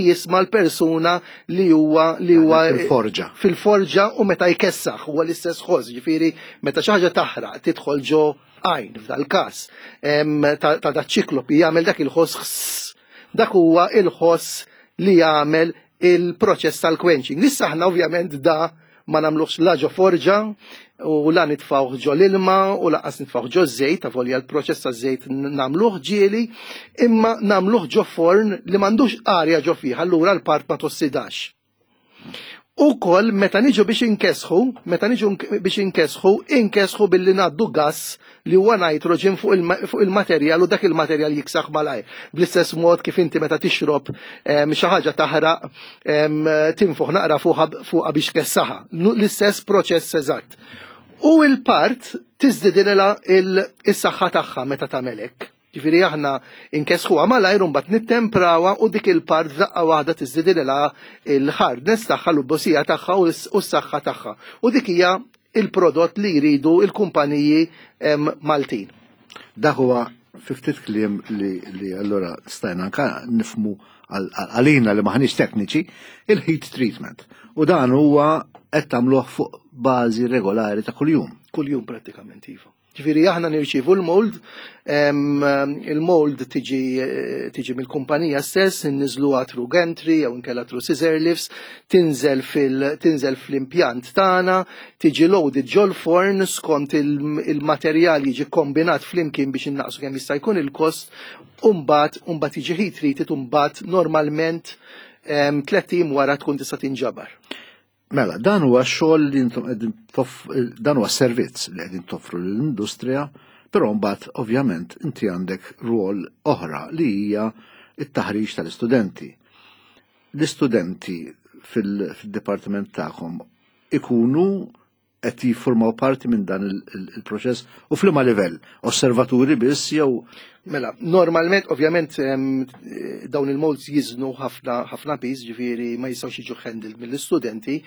jisma l-persuna li huwa li huwa fil-forġa. Fil-forġa u meta jkessaħ huwa l-istess ħoss, ġifieri meta xi ħaġa taħraq tidħol ġo għajn f'dal-każ ta' da ċiklopi jagħmel dak il-ħoss, dak huwa il-ħoss li jagħmel il-proċess tal-quenching. Issa aħna ovvjament da ma nagħmluhx la ġo forġa u la nitfgħuh ġo l-ilma u lanqas nitfgħuh ġo żejt, avolja l-proċess ta' żejt nagħmluh ġieli, imma nagħmluh ġo forn li m'għandux arja ġo fih, allura l-part ma tossidax. Ukoll meta niġu biex inkesħu, meta niġu biex inkesħu, inkesħu billi ngħaddu gas li huwa nitrogen fuq il-materjal u dak il-materjal jiksaħ malajr. Bl-istess mod kif inti meta tixrob xi ħaġa taħraq tinfuħ naqra fuqha biex tkessaħha. L-istess proċess eżatt. U il-part tiżdidilha is-saħħa tagħha meta tagħmel hekk. Ġifieri aħna inkesħuha malajr u mbagħad nittemprawha u dik il-part f'daqqa waħda tiżdidilha il-hardness tagħha, l-iebusija tagħha u s-saħħa tagħha. U dik hija il-prodott li jridu il-kumpaniji Maltin. Dak huwa fi ftit kliem li, li allura stajna anka nifhmu għalina li maħniex tekniċi, il-heat treatment. U dan huwa qed tagħmluh fuq bażi regolari ta' kuljum. Kuljum prattikament, iva. Ġifieri aħna nirċievu l-mold, il-mold tiġi tiġi mill-kumpanija stess, inniżluha through gantry jew inkella through scissor lifts, tinżel fil tinżel fl-impjant tagħna, tiġi loaded ġol forn skont il-materjal jiġi kombinat flimkien biex innaqsu kemm jista' jkun il-kost, u mbagħad u mbagħad jiġi heat treated u mbagħad normalment tlett ijiem wara tkun tista' tinġabar. Mela, dan huwa xogħol li intom qegħdin, dan huwa servizz li qegħdin toffru lill-industrija, però mbagħad ovvjament inti għandek rwol oħra li hija it-taħriġ tal-istudenti. L-istudenti fil-dipartiment tagħkom ikunu qed jiffurmaw parti minn dan il-proċess u f'liema livell? Osservaturi biss jew? Mela, normalment, ovvjament, dawn il-molds jiżnu ħafna ħafna piż, ġifieri ma jistgħux jiġu handled mill-istudenti,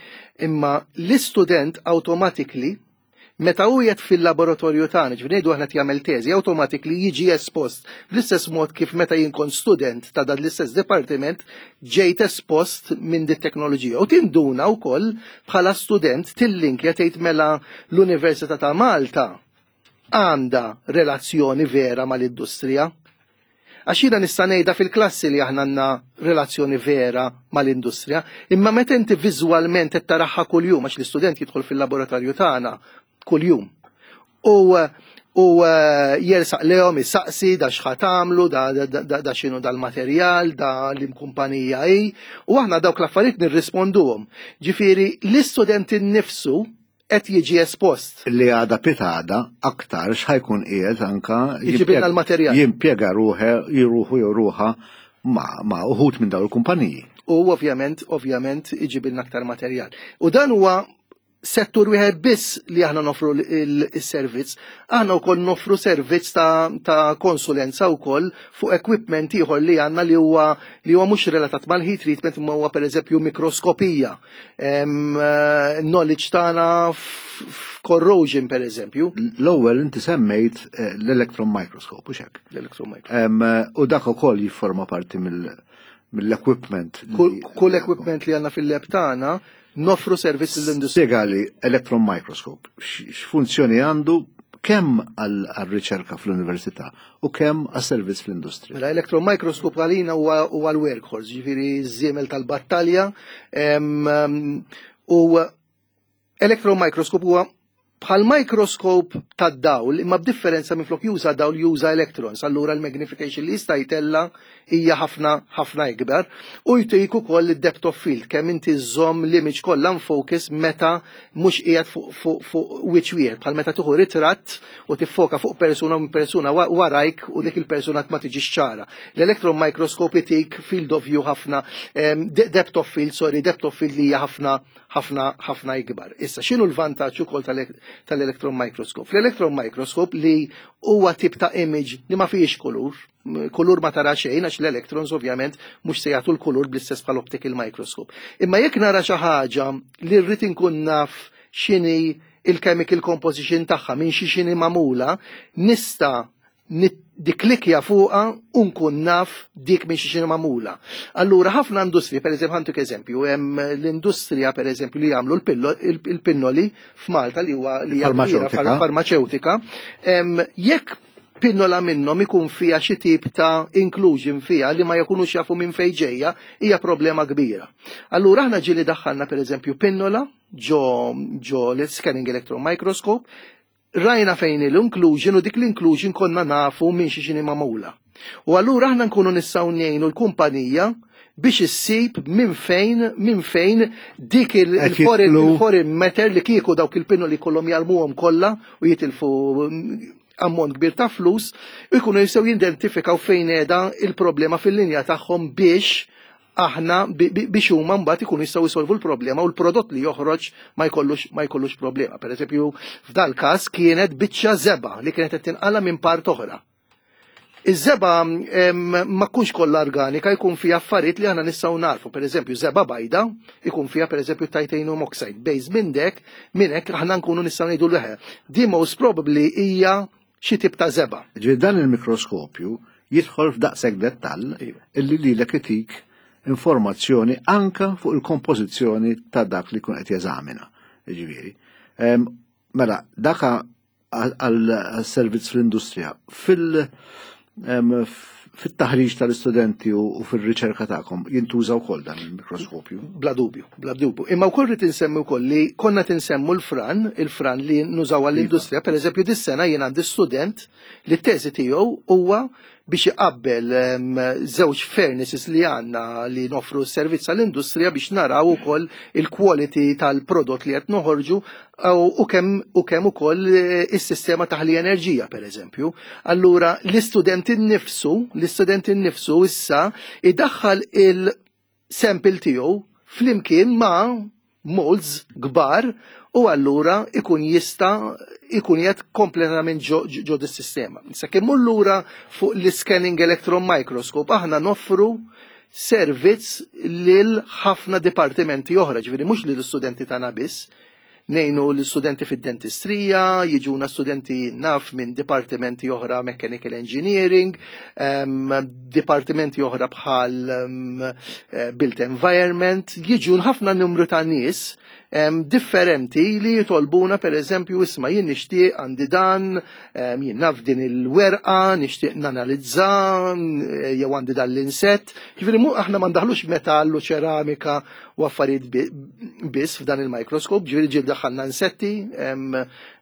imma l-istudent automatically meta hu qiegħed fil-laboratorju tagħna, ġifieri ngħidu aħna jagħmel teżi, automatically jiġi espost bl-istess mod kif meta jien kont student ta' dan l-istess dipartiment ġejt espost minn dit teknoloġija. U tinduna wkoll bħala student tillinkja, tgħid mela l-Università ta' Malta għandha relazzjoni vera mal-industrija. Għax jiena nista' ngħidha fil-klassi li aħna għandna relazzjoni vera mal-industrija, imma meta inti viżwalment qed taraha kuljum, għax l-istudent jidħol fil-laboratorju tagħna kuljum. U U eh, jersaq lejhom isaqsi da x'ħa tagħmlu, da, da, da, da x'inhu dal-materjal, da l-kumpanija hi, u aħna dawk l-affarijiet nirrisponduhom. Ġifieri l-istudent innifsu qed jiġi espost. Li għada pitgħada aktar x'ħa jkun qiegħed anka Iġibilna l-materjal. Jimpjega ruħe, jiruħu jew ruħa ma, ma uħud minn dawn il-kumpaniji. U ovvjament, ovvjament iġibilna aktar materjal. U dan huwa settur wieħed biss li aħna nofru il-servizz. Aħna wkoll nofru servizz ta', ta konsulenza wkoll fuq equipment ieħor li għandna li huwa li huwa mhux relatat mal-heat treatment, imma huwa pereżempju mikroskopija. Em, eh, knowledge tagħna f'corrosion, pereżempju. L-ewwel inti semmejt eh, l-electron microscope, u hekk? L-electron microscope. Em, U dak ukoll jifforma parti mill- mill-equipment. li- Kull kull equipment li għandna fil-lab tagħna nofru servizz lill-industrija. Spjegali electron microscope, x- x'funzjoni għandu, kemm għal-riċerka fl-università u kemm għas-servizz fl-industrija? Mela, electron microscope għalina huwa huwa l-workhorse, ġifieri ż-żiemel tal-battalja. em, em, U electron microscope huwa bħal microscope tad-dawl, imma b'differenza, minflok juża dawl juża electrons. Allura l-magnification li jista' jtella hija ħafna ħafna ikbar u jtik ukoll id-depth of field, kemm inti żżomm l-image kollha focus meta mhux qiegħed fuq fuq fuq wiċċ wieħed, bħal meta tieħu ritratt u tiffoka fuq persuna minn persuna wa- warajk u dik il-persuna ma tiġix ċara. L-electron microscope itik field of view ħafna, em, de- depth of field, sorry, depth of field li hija ħafna ħafna ħafna ikbar. Issa, x'inhu l-vantaġġ ukoll tal- tal-electron microscope? L-electron microscope li huwa tip ta' image li ma fihiex kulur, m- kulur ma tara xejn għax l-electrons ovvjament mhux se jagħtu l-kulur bl-istess bħal optical microscope. Imma jekk nara xi ħaġa li rrid inkun naf x'inhi il-chemical composition tagħha, minn xi x'inhi magħmula, nista' nikklikkja fuqha u nkun naf dik minn xi x'inhi magħmula. Allura ħafna industriji, per eżempju, ħa ntik eżempju, hemm l-industrija, per eżempju, li jagħmlu l-pillo- il- il-pinnoli f'Malta, li huwa li hija kbira, Farmaceutika. farmaceutika, em, jekk pinnola minnhom ikun fiha xi tip ta' inclusion fiha li ma jkunux jafu minn fejn ġejja, hija problema kbira. Allura aħna ġieli daħħalna, per eżempju, pinnola ġo ġo l-scanning electron microscope, rajna fejn l-inclusion u dik l-inclusion konna nafu minn xi x'inhi magħmula. U allura aħna nkunu nistgħu ngħinu l-kumpanija biex issib minn fejn minn fejn dik il- Qed il-foreign jidħlu- il-foreign matter li kieku dawk il-pinnoli kollhom jarmuhom kollha u jitilfu ammont kbir ta' flus, u jkunu jistgħu jidentifikaw fejn qiegħda il-problema fil-linja tagħhom biex aħna bi- bi- biex huma mbagħad ikunu jistgħu jsolvu l-problema u l-prodott li joħroġ ma jkollux ma jkollux problema. Per eżempju, f'dal każ kienet biċċa żebgħa li kienet qed tinqala minn part oħra. Iż-żebgħa em, ma tkunx kollha organika, jkun fiha affarijiet li aħna nistgħu narfu. Per eżempju, żebgħa bajda jkun fiha, per eżempju, titanium oxide. Base minn dek, minn hekk aħna nkunu nistgħu ngħidu leħe. Di most probably hija xi tip ta' żebgħa. Ġifieri dan il-mikroskopju jidħol f'daqshekk dettall Iva. illi lilek itik informazzjoni anka fuq il-kompożizzjoni ta' dak li kun qed jeżamina. Ġifieri. Em, Mela, daka għal-servizz fl-industrija. Fil- em, fit-taħriġ tal-istudenti u u fil-riċerka tagħkom jintuża wkoll dan il-mikroskopju? Bla dubju, bla dubju. Imma wkoll rrid insemmi wkoll li konna tinsemmu l-fran, il-fran li nużaw għall-industrija. Per eżempju, dis-sena jien għandi student li t-teżi tiegħu huwa biex iqabbel em, żewġ furnaces li għandna li nofru s-servizz għall-industrija biex naraw ukoll il-quality tal-prodott li qed noħorġu u u kemm u kemm ukoll eh, is-sistema taħli enerġija, per eżempju. Allura l-istudent innifsu, l-istudent innifsu issa idaħħal il-sample tiegħu flimkien ma' molds kbar u allura ikun jista' ikun jgħid kompletament ġo ġo dis-sistema. Issa kemm lura fuq l-scanning electron microscope, aħna noffru servizz lil ħafna dipartimenti oħra, ġifieri mhux lill studenti tagħna biss, ngħinu l-studenti fid-dentistrija, jiġuna studenti naf minn dipartimenti oħra, mechanical engineering, um, dipartimenti oħra bħal um, built environment, jiġu ħafna numru ta' nies um, differenti li jitolbuna, per eżempju, isma', jien nixtieq, għandi dan, um, jien naf din il-werqa, nixtieq nanalizza, jew għandi dan l-insett. Ġifieri aħna ma ndaħlux metallu, ċeramika u affarijiet biss f'dan il-microscope, ġifieri ġieli daħħalna insetti,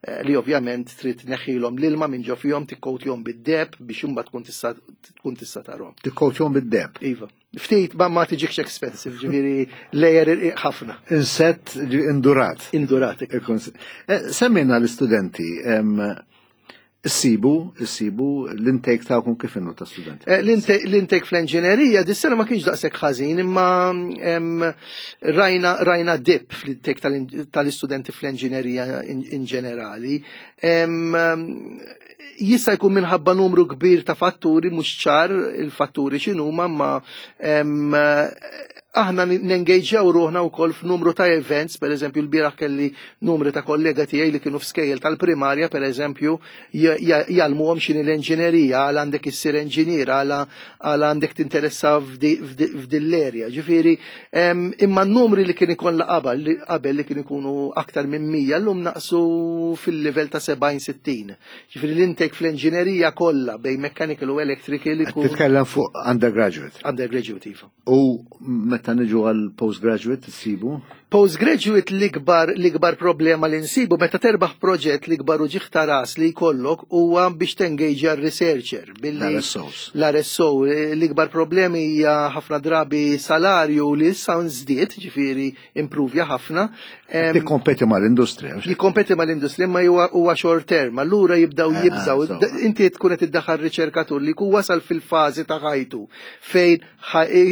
eh, li ovvjament trid tneħħilhom l-ilma minn ġo fihom, tikkowtjhom bid-deheb biex imbagħad tkun tista' tkun tista' tarhom. Tikkowtjhom bid-deheb. Iva. Ftit ma ma tiġikx expensive, ġifieri layer irqiq ħafna. Insett indurat. Indurat. Ikun- Eh, Semmejna l-istudenti, em, issibu, issibu l-intake tagħkom kif inhu ta' studenti? Eh, L-intake fl-enġinerija dis-sena ma kienx daqshekk ħażin, imma em, rajna rajna dip fl-intake tal- tal-istudenti fl-enġinerija in, in ġenerali. Em, Jista' jkun minħabba numru kbir ta' fatturi, mhux ċar il-fatturi x'inhuma, ma em, aħna nengaġġjaw ruħna wkoll f'numru ta' events, per eżempju l-bieraħ kelli numri ta' kollega tiegħi li kienu f'skejjel tal-primarja, per eżempju, jgħallmuhom x'inhi l-enġinerija, għal għandek issir enġinier, għal għandek tinteressa f'dil-erja. Ġifieri, imma n-numri li kien ikun qabel qabel li kien ikunu aktar minn mija, llum naqsu fil-livell ta' sebgħin sittin. Ġifieri l-intake fl-enġinerija kollha bejn mechanical u electrical ikun. Titkellem fuq undergraduate. Undergraduate, iva. U meta niġu għal postgraduate tsibu? Postgraduate, l-ikbar l-ikbar problema li nsibu meta terbaħ proġett, l-ikbar uġigħ ta' ras li jkollok huwa biex tengaġa r-researcher. L-R S Os. L-R S O, l-ikbar problemi hija ħafna drabi salarju li issa nżdied, ġifieri improvja ħafna. Tikkompeti mal-industrija. Jikkompeti mal-industrija, ma huwa short term, allura jibdaw ah, jibżaw. Inti tkun qed iddaħħal riċerkatur li jkun wasal fil-fażi ta' ħajtu fejn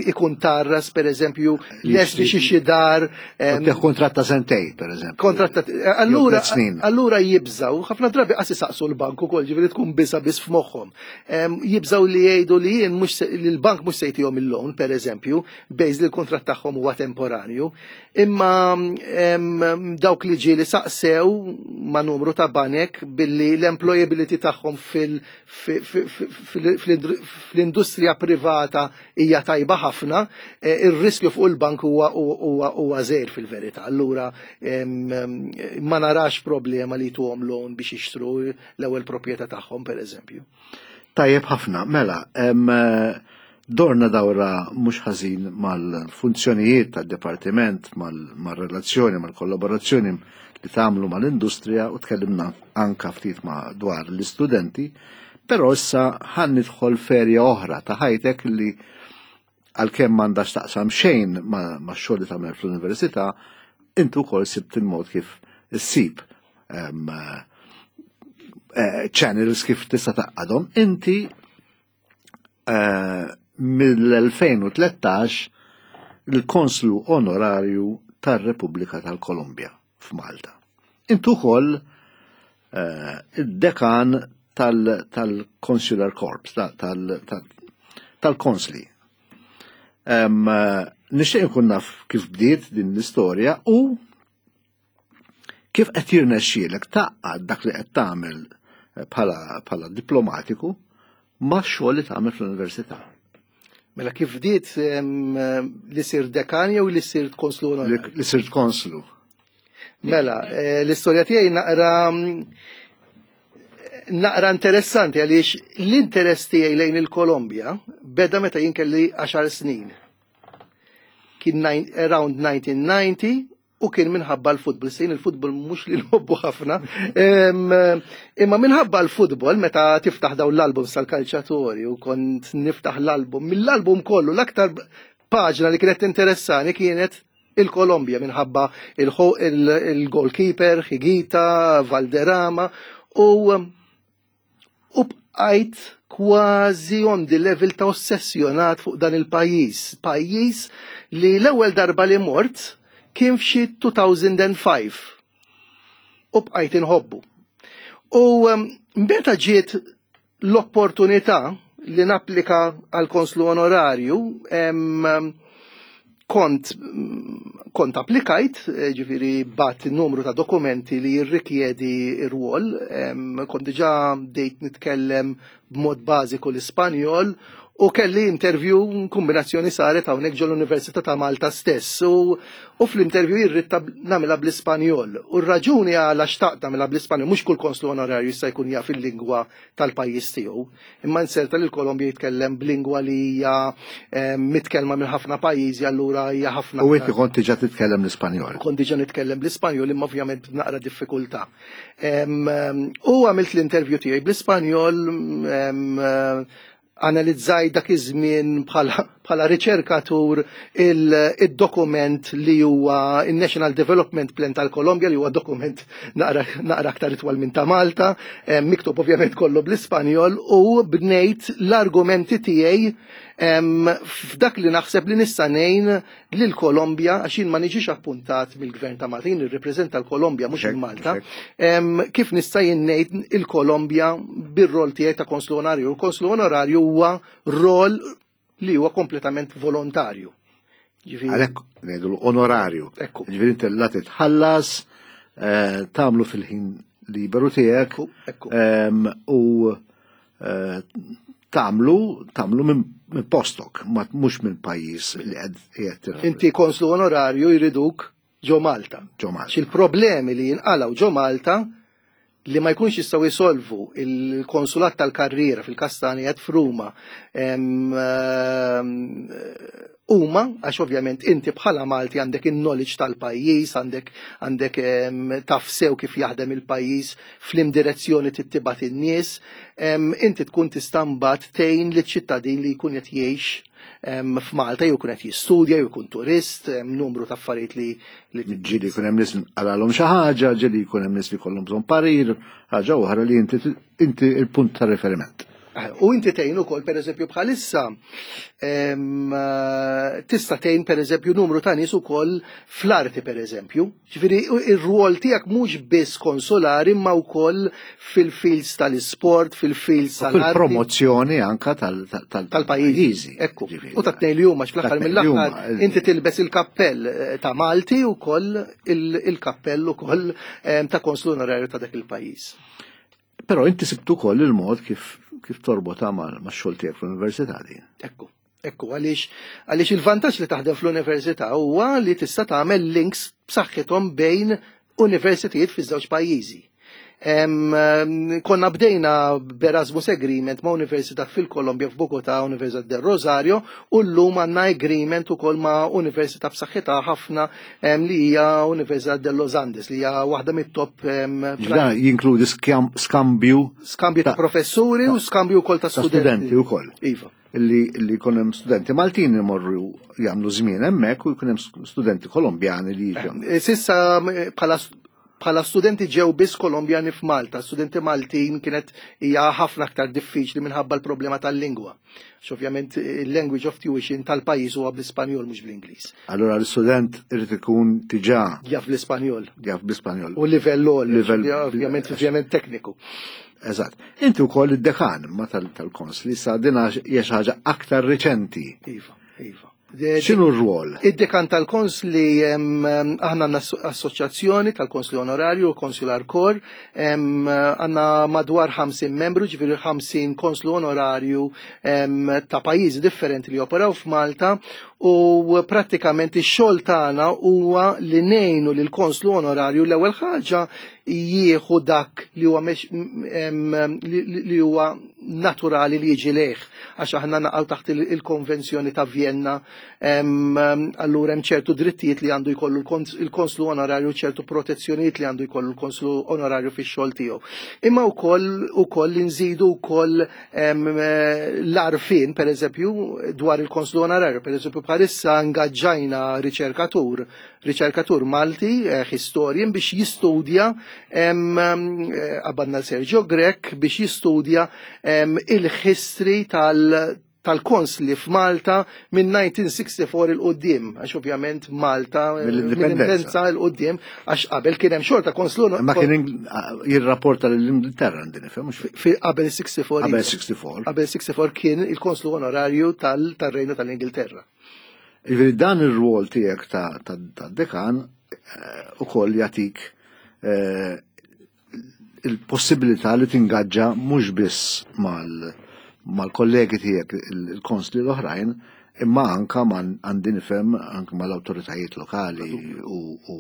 ikun tarras, per eżempju, lest xi dar. Kontratt ta' sentejn, per eżempju. Kontratt ta' allura allura jibżaw, ħafna drabi qas isaqsu l-bank ukoll, ġifieri tkun biża biss f'moħħhom. Jibżaw li jgħidu li jien mhux li l-bank mhux se jtihom il-loan, per eżempju, based li l-kontratt tagħhom huwa temporanju. Imma dawk li ġieli saqsew ma' numru ta' banek billi l-employability tagħhom fl-industrija privata hija tajba ħafna, e, ir-riskju fuq il-bank huwa huwa żgħir fil-verità. Allura ma narax problema li tuhom loan biex jixtru l-ewwel proprjetà tagħhom, per eżempju. Tajjeb ħafna, mela, dorna dawra mhux ħażin mal-funzjonijiet tad-dipartiment, mal-relazzjoni, mal-kollaborazzjoni li tagħmlu mal-industrija u tkellimna anka ftit ma dwar l-istudenti, però issa ħa nidħol f'erja oħra ta' ħajtek li għalkemm m'għandax taqsam xejn ma' xogħol li tagħmel fl-università, intu wkoll sibt il-mod kif issib eh, channels kif tista' tgħaqqadhom. Inti eh, mill-elfejn u tlettax il-konslu onorarju tar-Repubblika tal-Kolumbja f'Malta. Intu ukoll eh, id-dekan tal-Consular Corps, tal-konsli. Nixtieq nkun naf kif bdiet din l-istorja u kif qed jirnexxielek tgħaqqad dak li qed tagħmel bħala diplomatiku ma' xogħol li tagħmel fl-università. Mela, kif bdiet li sir dekan jew li sirt konslu? Li sirt konslu. Mela, eh, l-istorja tiegħi naqra naqra interessanti għaliex l-interess tiegħi lejn il-Kolombja beda meta jien kelli għaxar snin. Kien around nineteen ninety u kien minħabba l-futbol. Sejn il-futbol mhux li nħobbu ħafna. Imma minħabba l-futbol, meta tiftaħ daw l-album sal-kalċatori u kont niftaħ l-album, mill-album kollu l-aktar paġna li kienet interessani kienet il-Kolombja minħabba il-goalkeeper, Higuita, Valderrama u u bqajt kważi on the level ta' ossessjonat fuq dan il-pajjiż. Pajjiż li l-ewwel darba li mort kien f'xi elfejn u ħamsa u bqajt inħobbu. U um, meta ġiet l-opportunità li napplika għal konslu onorarju, em, kont kont applikajt, eh, ġifiri bgħatt numru ta' dokumenti li jirrikjedi ir-rwol, kont diġà bdejt nitkellem b'mod bażiku l-Ispanjol. U kelli interview, kombinazzjoni saret hawnhekk ġol Università ta' Malta stess. U, u fl-interview irrid nagħmilha bl-Ispanjol. U r-raġuni għala xtaqt nagħmilha bl-Ispanjol, mhux kull konslu onorarju jista' jkun jaf il-lingwa tal-pajjiż tiegħu. Imma inserta li l-Kolombja jitkellem b'lingwa li hija eh, mitkellma minn ħafna pajjiżi, allura hija ħafna. U inti kont diġà titkellem l-Ispanjol. Kont diġà nitkellem bl-Ispanjol, imma ovvjament naqra diffikultà. U għamilt l-interview tiegħi bl-Ispanjol, analizzaj dak iż-żmien bħala riċerkatur il-dokument li huwa il-National Development Plan tal-Kolombja, li huwa dokument naqra aktar itwal minn ta' Malta, miktub ovvjament kollu bl-Ispanjol, u bnejt l-argumenti tiegħi f'dak li naħseb li nista' ngħin lil Kolombja, għax jien ma niġix appuntat mill-Gvern ta' Malta, jien nirrepreżenta l-Kolombja mhux il-Malta, kif nista' jien ngħid il-Kolombja bir-rol tiegħi ta' konslu onorarju. Il-konslu onorarju huwa rol li huwa kompletament volontarju. Għalhekk ngħidu onorarju. Ġifieri inti la titħallas, tagħmlu fil-ħin liberu tiegħek u tagħmlu tagħmlu minn postok, mhux minn pajjiż li qed. Inti konslu onorarju jriduk ġo Malta. Ġo Malta. Xil-problemi li jinqalgħu ġo Malta li ma jkunx jistgħu jisolvu il-konsulat tal-karriera fil-Kastanjet f'Ruma huma, għax ovvjament inti bħala Malti għandek il-knowledge tal-pajjiż, għandek għandek taf sew kif jaħdem il-pajjiż, f'lim direzzjoni tittibat in-nies, inti tkun tista' mbagħad tgħin liċ-ċittadin li jkun qed jgħix f'Malta, jew jkun qed jistudja, jew jkun turist, numru ta' affarijiet li ġieli jkun hemm nies qalgħalhom xi ħaġa, ġieli jkun hemm nies li jkollhom bżonn parir, ħaġa oħra li inti inti il-punt ta' riferiment. U inti tgħin ukoll pereżempju bħalissa tista' tgħin pereżempju numru ta' nies ukoll fl-arti pereżempju. Ġifieri ir-rwol tiegħek mhux biss konsolari imma wkoll fil-fields tal-isport, fil-fields tal-arti. Fil-promozzjoni anka tal-pajjiżi. Ekku. U tat-tnejn li huma fl-aħħar mill-aħħar inti tilbes il-kappell ta' Malti wkoll il-kappell ukoll ta' konslu onorarju ta' dak il-pajjiż. Però inti sibtu ukoll il-mod kif kif torbota ma' xogħol tiegħek fl-università din. Ekku, ekku, għaliex għaliex il-vantaġġ li taħdem fl-università huwa li tista' tagħmel links b'saħħithom bejn universitajiet fiż-żewġ pajjiżi. Konna bdejna b'Erasmus Agreement ma' Università fil-Kolombja f'Bogotà, Università del Rosario, u llum għandna agreement ukoll ma' Università b'saħħitha ħafna li hija Università de los Andes, li hija waħda mit-top. Jinkludi skambju skambju ta' professuri u skambju wkoll ta' studenti wkoll. Iva. Li jkun hemm studenti Maltin imorru jagħmlu żmien hemmhekk u jkun hemm studenti Kolombjani li jiġu. Sissa bħala bħala studenti ġew biss Kolombjani f'Malta, studenti Maltin kienet hija ħafna aktar diffiċli minħabba l-problema tal-lingwa. Ovvjament il-language of tuition tal-pajjiż huwa bl-Ispanjol mhux bl-Ingliż. Allura l-student irid ikun diġà jaf bl-Ispanjol. Jaf bl-Ispanjol. U livell livell ovvjament ovvjament tekniku. Eżatt. Inti wkoll id-dekan ma tal-konsli sa din hija xi ħaġa aktar riċenti. Iva, iva. X'inhu r-rwol? Id-dekan tal-konsli, aħna għandna assoċjazzjoni tal-konsli onorarju, Consular Corps, għandna madwar ħamsin membru, ġifieri ħamsin konslu onorarju ta' pajjiżi differenti li operaw f'Malta, u prattikament ix-xogħol tagħna huwa li ngħinu lil konslu onorarju l-ewwel ħaġa jieħu dak li huwa li huwa naturali li jiġi lejh, għax aħna naqgħu taħt il-Konvenzjoni ta' Vienna, allura hemm ċertu drittijiet li għandu jkollu il-konslu onorarju, ċertu protezzjonijiet li għandu jkollu l-konslu onorarju fix-xogħol tiegħu. Imma wkoll ukoll nżidu wkoll l-arfin pereżempju dwar il-konslu onorarju, pereżempju bħalissa ingaġġajna riċerkatur, riċerkatur Malti, historian, biex jistudja, qabadna Sergio Grech biex jistudja il-history tal-konsli f'Malta minn nineteen sixty-four il-qoddim, għax ovvjament Malta mill-indipendenza il-qoddim, għax qabel kien hemm xorta konslu. Ma kien jirrapporta lill-Ingilterra għandi nifhem, mhux qabel sixty-four. Qabel sixty-four. Qabel sixty-four kien il-konslu onorarju tal-Rejnu tal-Ingilterra. Jiġifieri dan ir-rwol tiegħek ta' dekan ukoll jagħtik il-possibilità li tingaġġa mhux biss mal mal-kollegi tiegħek il-konsli l-oħrajn, imma anka man għandi nifhem anka mal-awtoritajiet lokali u u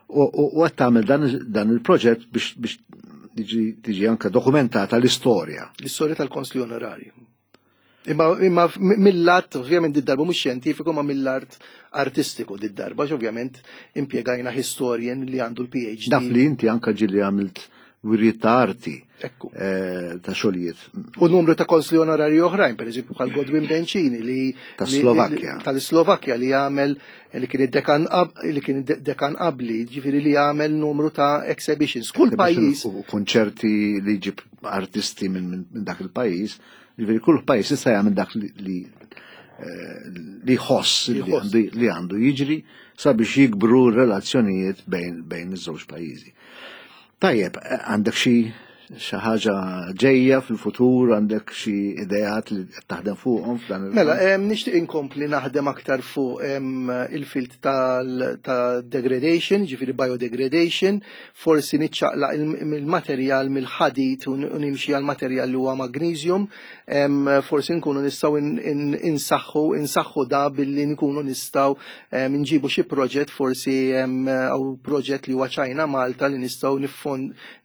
u qed tagħmel dan il-proġett biex tiġi anka dokumentata l-istorja. L-istorja tal-konsli onorarju. Imma, imma mill-lat, ovvjament did-darba mhux xjentifiku, ma mill-art artistiku did-darba, ovvjament impjegajna historian li għandu l-P H D. Naf li inti anka ġieli għamilt wirjiet ta' arti. Ekku. Eh, ta' xogħlijiet. U numru ta' konsli onorari oħrajn, per eżempju bħal Godwin Bencini li Ta' Slovakkja. Tal-Slovakkja li għamel li kien id-dekan li kien dekan qabli, ġifieri li għamel numru ta' exhibitions. Kull pajjiż u konċerti li jġib artisti minn dak il-pajjiż. Ġifieri kull pajjiż issa jagħmel dak li li jħoss li għandu jiġri sabiex jikbru relazzjonijiet bejn bejn iż-żewġ pajjiżi. Tajjeb, għandek xi xi ħaġa ġejja fil-futur, għandek xi ideat li taħdem fuqhom f'dan il- Mela, nixtieq inkompli naħdem aktar fuq il-field tal-degradation, ġifieri biodegradation, forsi niċċaqlaq il-materjal mill-ħadid u nimxi għal materjal li huwa magnesium, forsi nkunu nistgħu insaħħu insaħħu da billi nkunu nistgħu nġibu xi proġett, forsi għaw proġett li huwa China Malta li nistgħu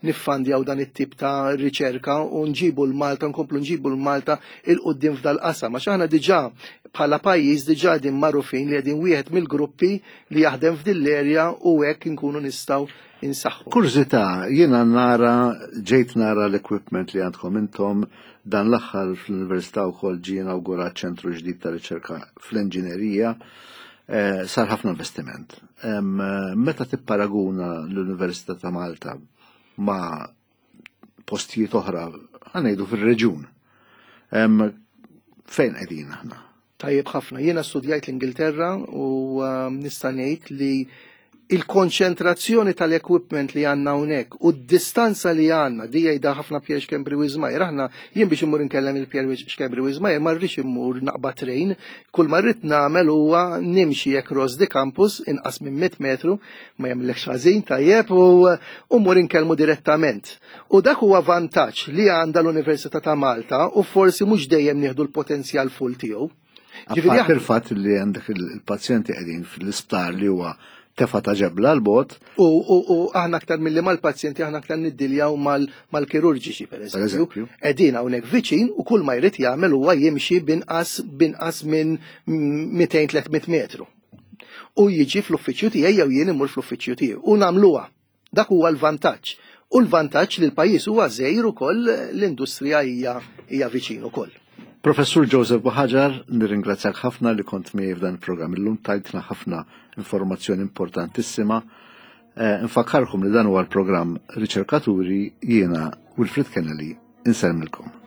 niffandjaw dan it-tip ta' riċerka u nġibu l-Malta, nkomplu nġibu l-Malta 'il quddiem f'dal-qasam. Għax aħna diġà bħala pajjiż diġà din magħrufin li qegħdin wieħed mill-gruppi li jaħdem f'din l-erja u hekk inkunu nistgħu insaħħu. Kurżità, jiena nara, ġejt nara l-equipment li għandkom intom, dan l-aħħar fl-Università wkoll ġie inawgurat ċentru ġdid ta' riċerka fl-inġinerija, eh, sar ħafna investiment. Meta tipparaguna l-Università ta' Malta ma' postijiet oħra, ħa ngħidu fil-reġun, fejn qegħdin aħna? Tajjeb ħafna. Jiena studjajt l-Ingilterra u nista' ngħid li il-konċentrazzjoni tal-equipment li għandna hawnhekk u d-distanza li għandna, di jgħidha ħafna Pierre Schembri Wismayer, aħna jien biex immur inkellem il-Pierre Schembri Wismayer ma rridx immur naqbad train, kull ma rrid nagħmel huwa nimxi across the campus inqas minn mitt metru, ma jagħmlekx ħażin tajjeb u mmur inkellmu direttament. U dak huwa vantaġġ li għandha l-Università ta' Malta u forsi mhux dejjem nieħdu l-potenzjal full tiegħu. Ġifieri il-fatt li għandek il-pazjenti qegħdin fl-isptar li huwa tefa ta' ġebla l-bot. U, u, u aħna aktar milli mal-pazjenti, aħna aktar niddiljaw mal-kirurġiċi, per eżempju. Qegħdin hawnhekk viċin u kull ma jrid jagħmel huwa jimxi binqas binqas minn mitejn tliet mitt metru. U jiġi fl-uffiċċju tiegħi jew jien immur fl-uffiċċju tiegħi. U nagħmluha. Dak huwa l-vantaġġ. U l-vantaġġ li l-pajjiż huwa żgħir ukoll, l-industrija hija hija viċin ukoll. Professur Joseph Buhagiar, nirringrazzjak ħafna li kont miegħi f'dan il-programm illum, tajtna ħafna informazzjoni importantissima. Eh, nfakkarkom li dan huwa l-programm Riċerkaturi, jiena Wilfred Kennelly, insellmilkom.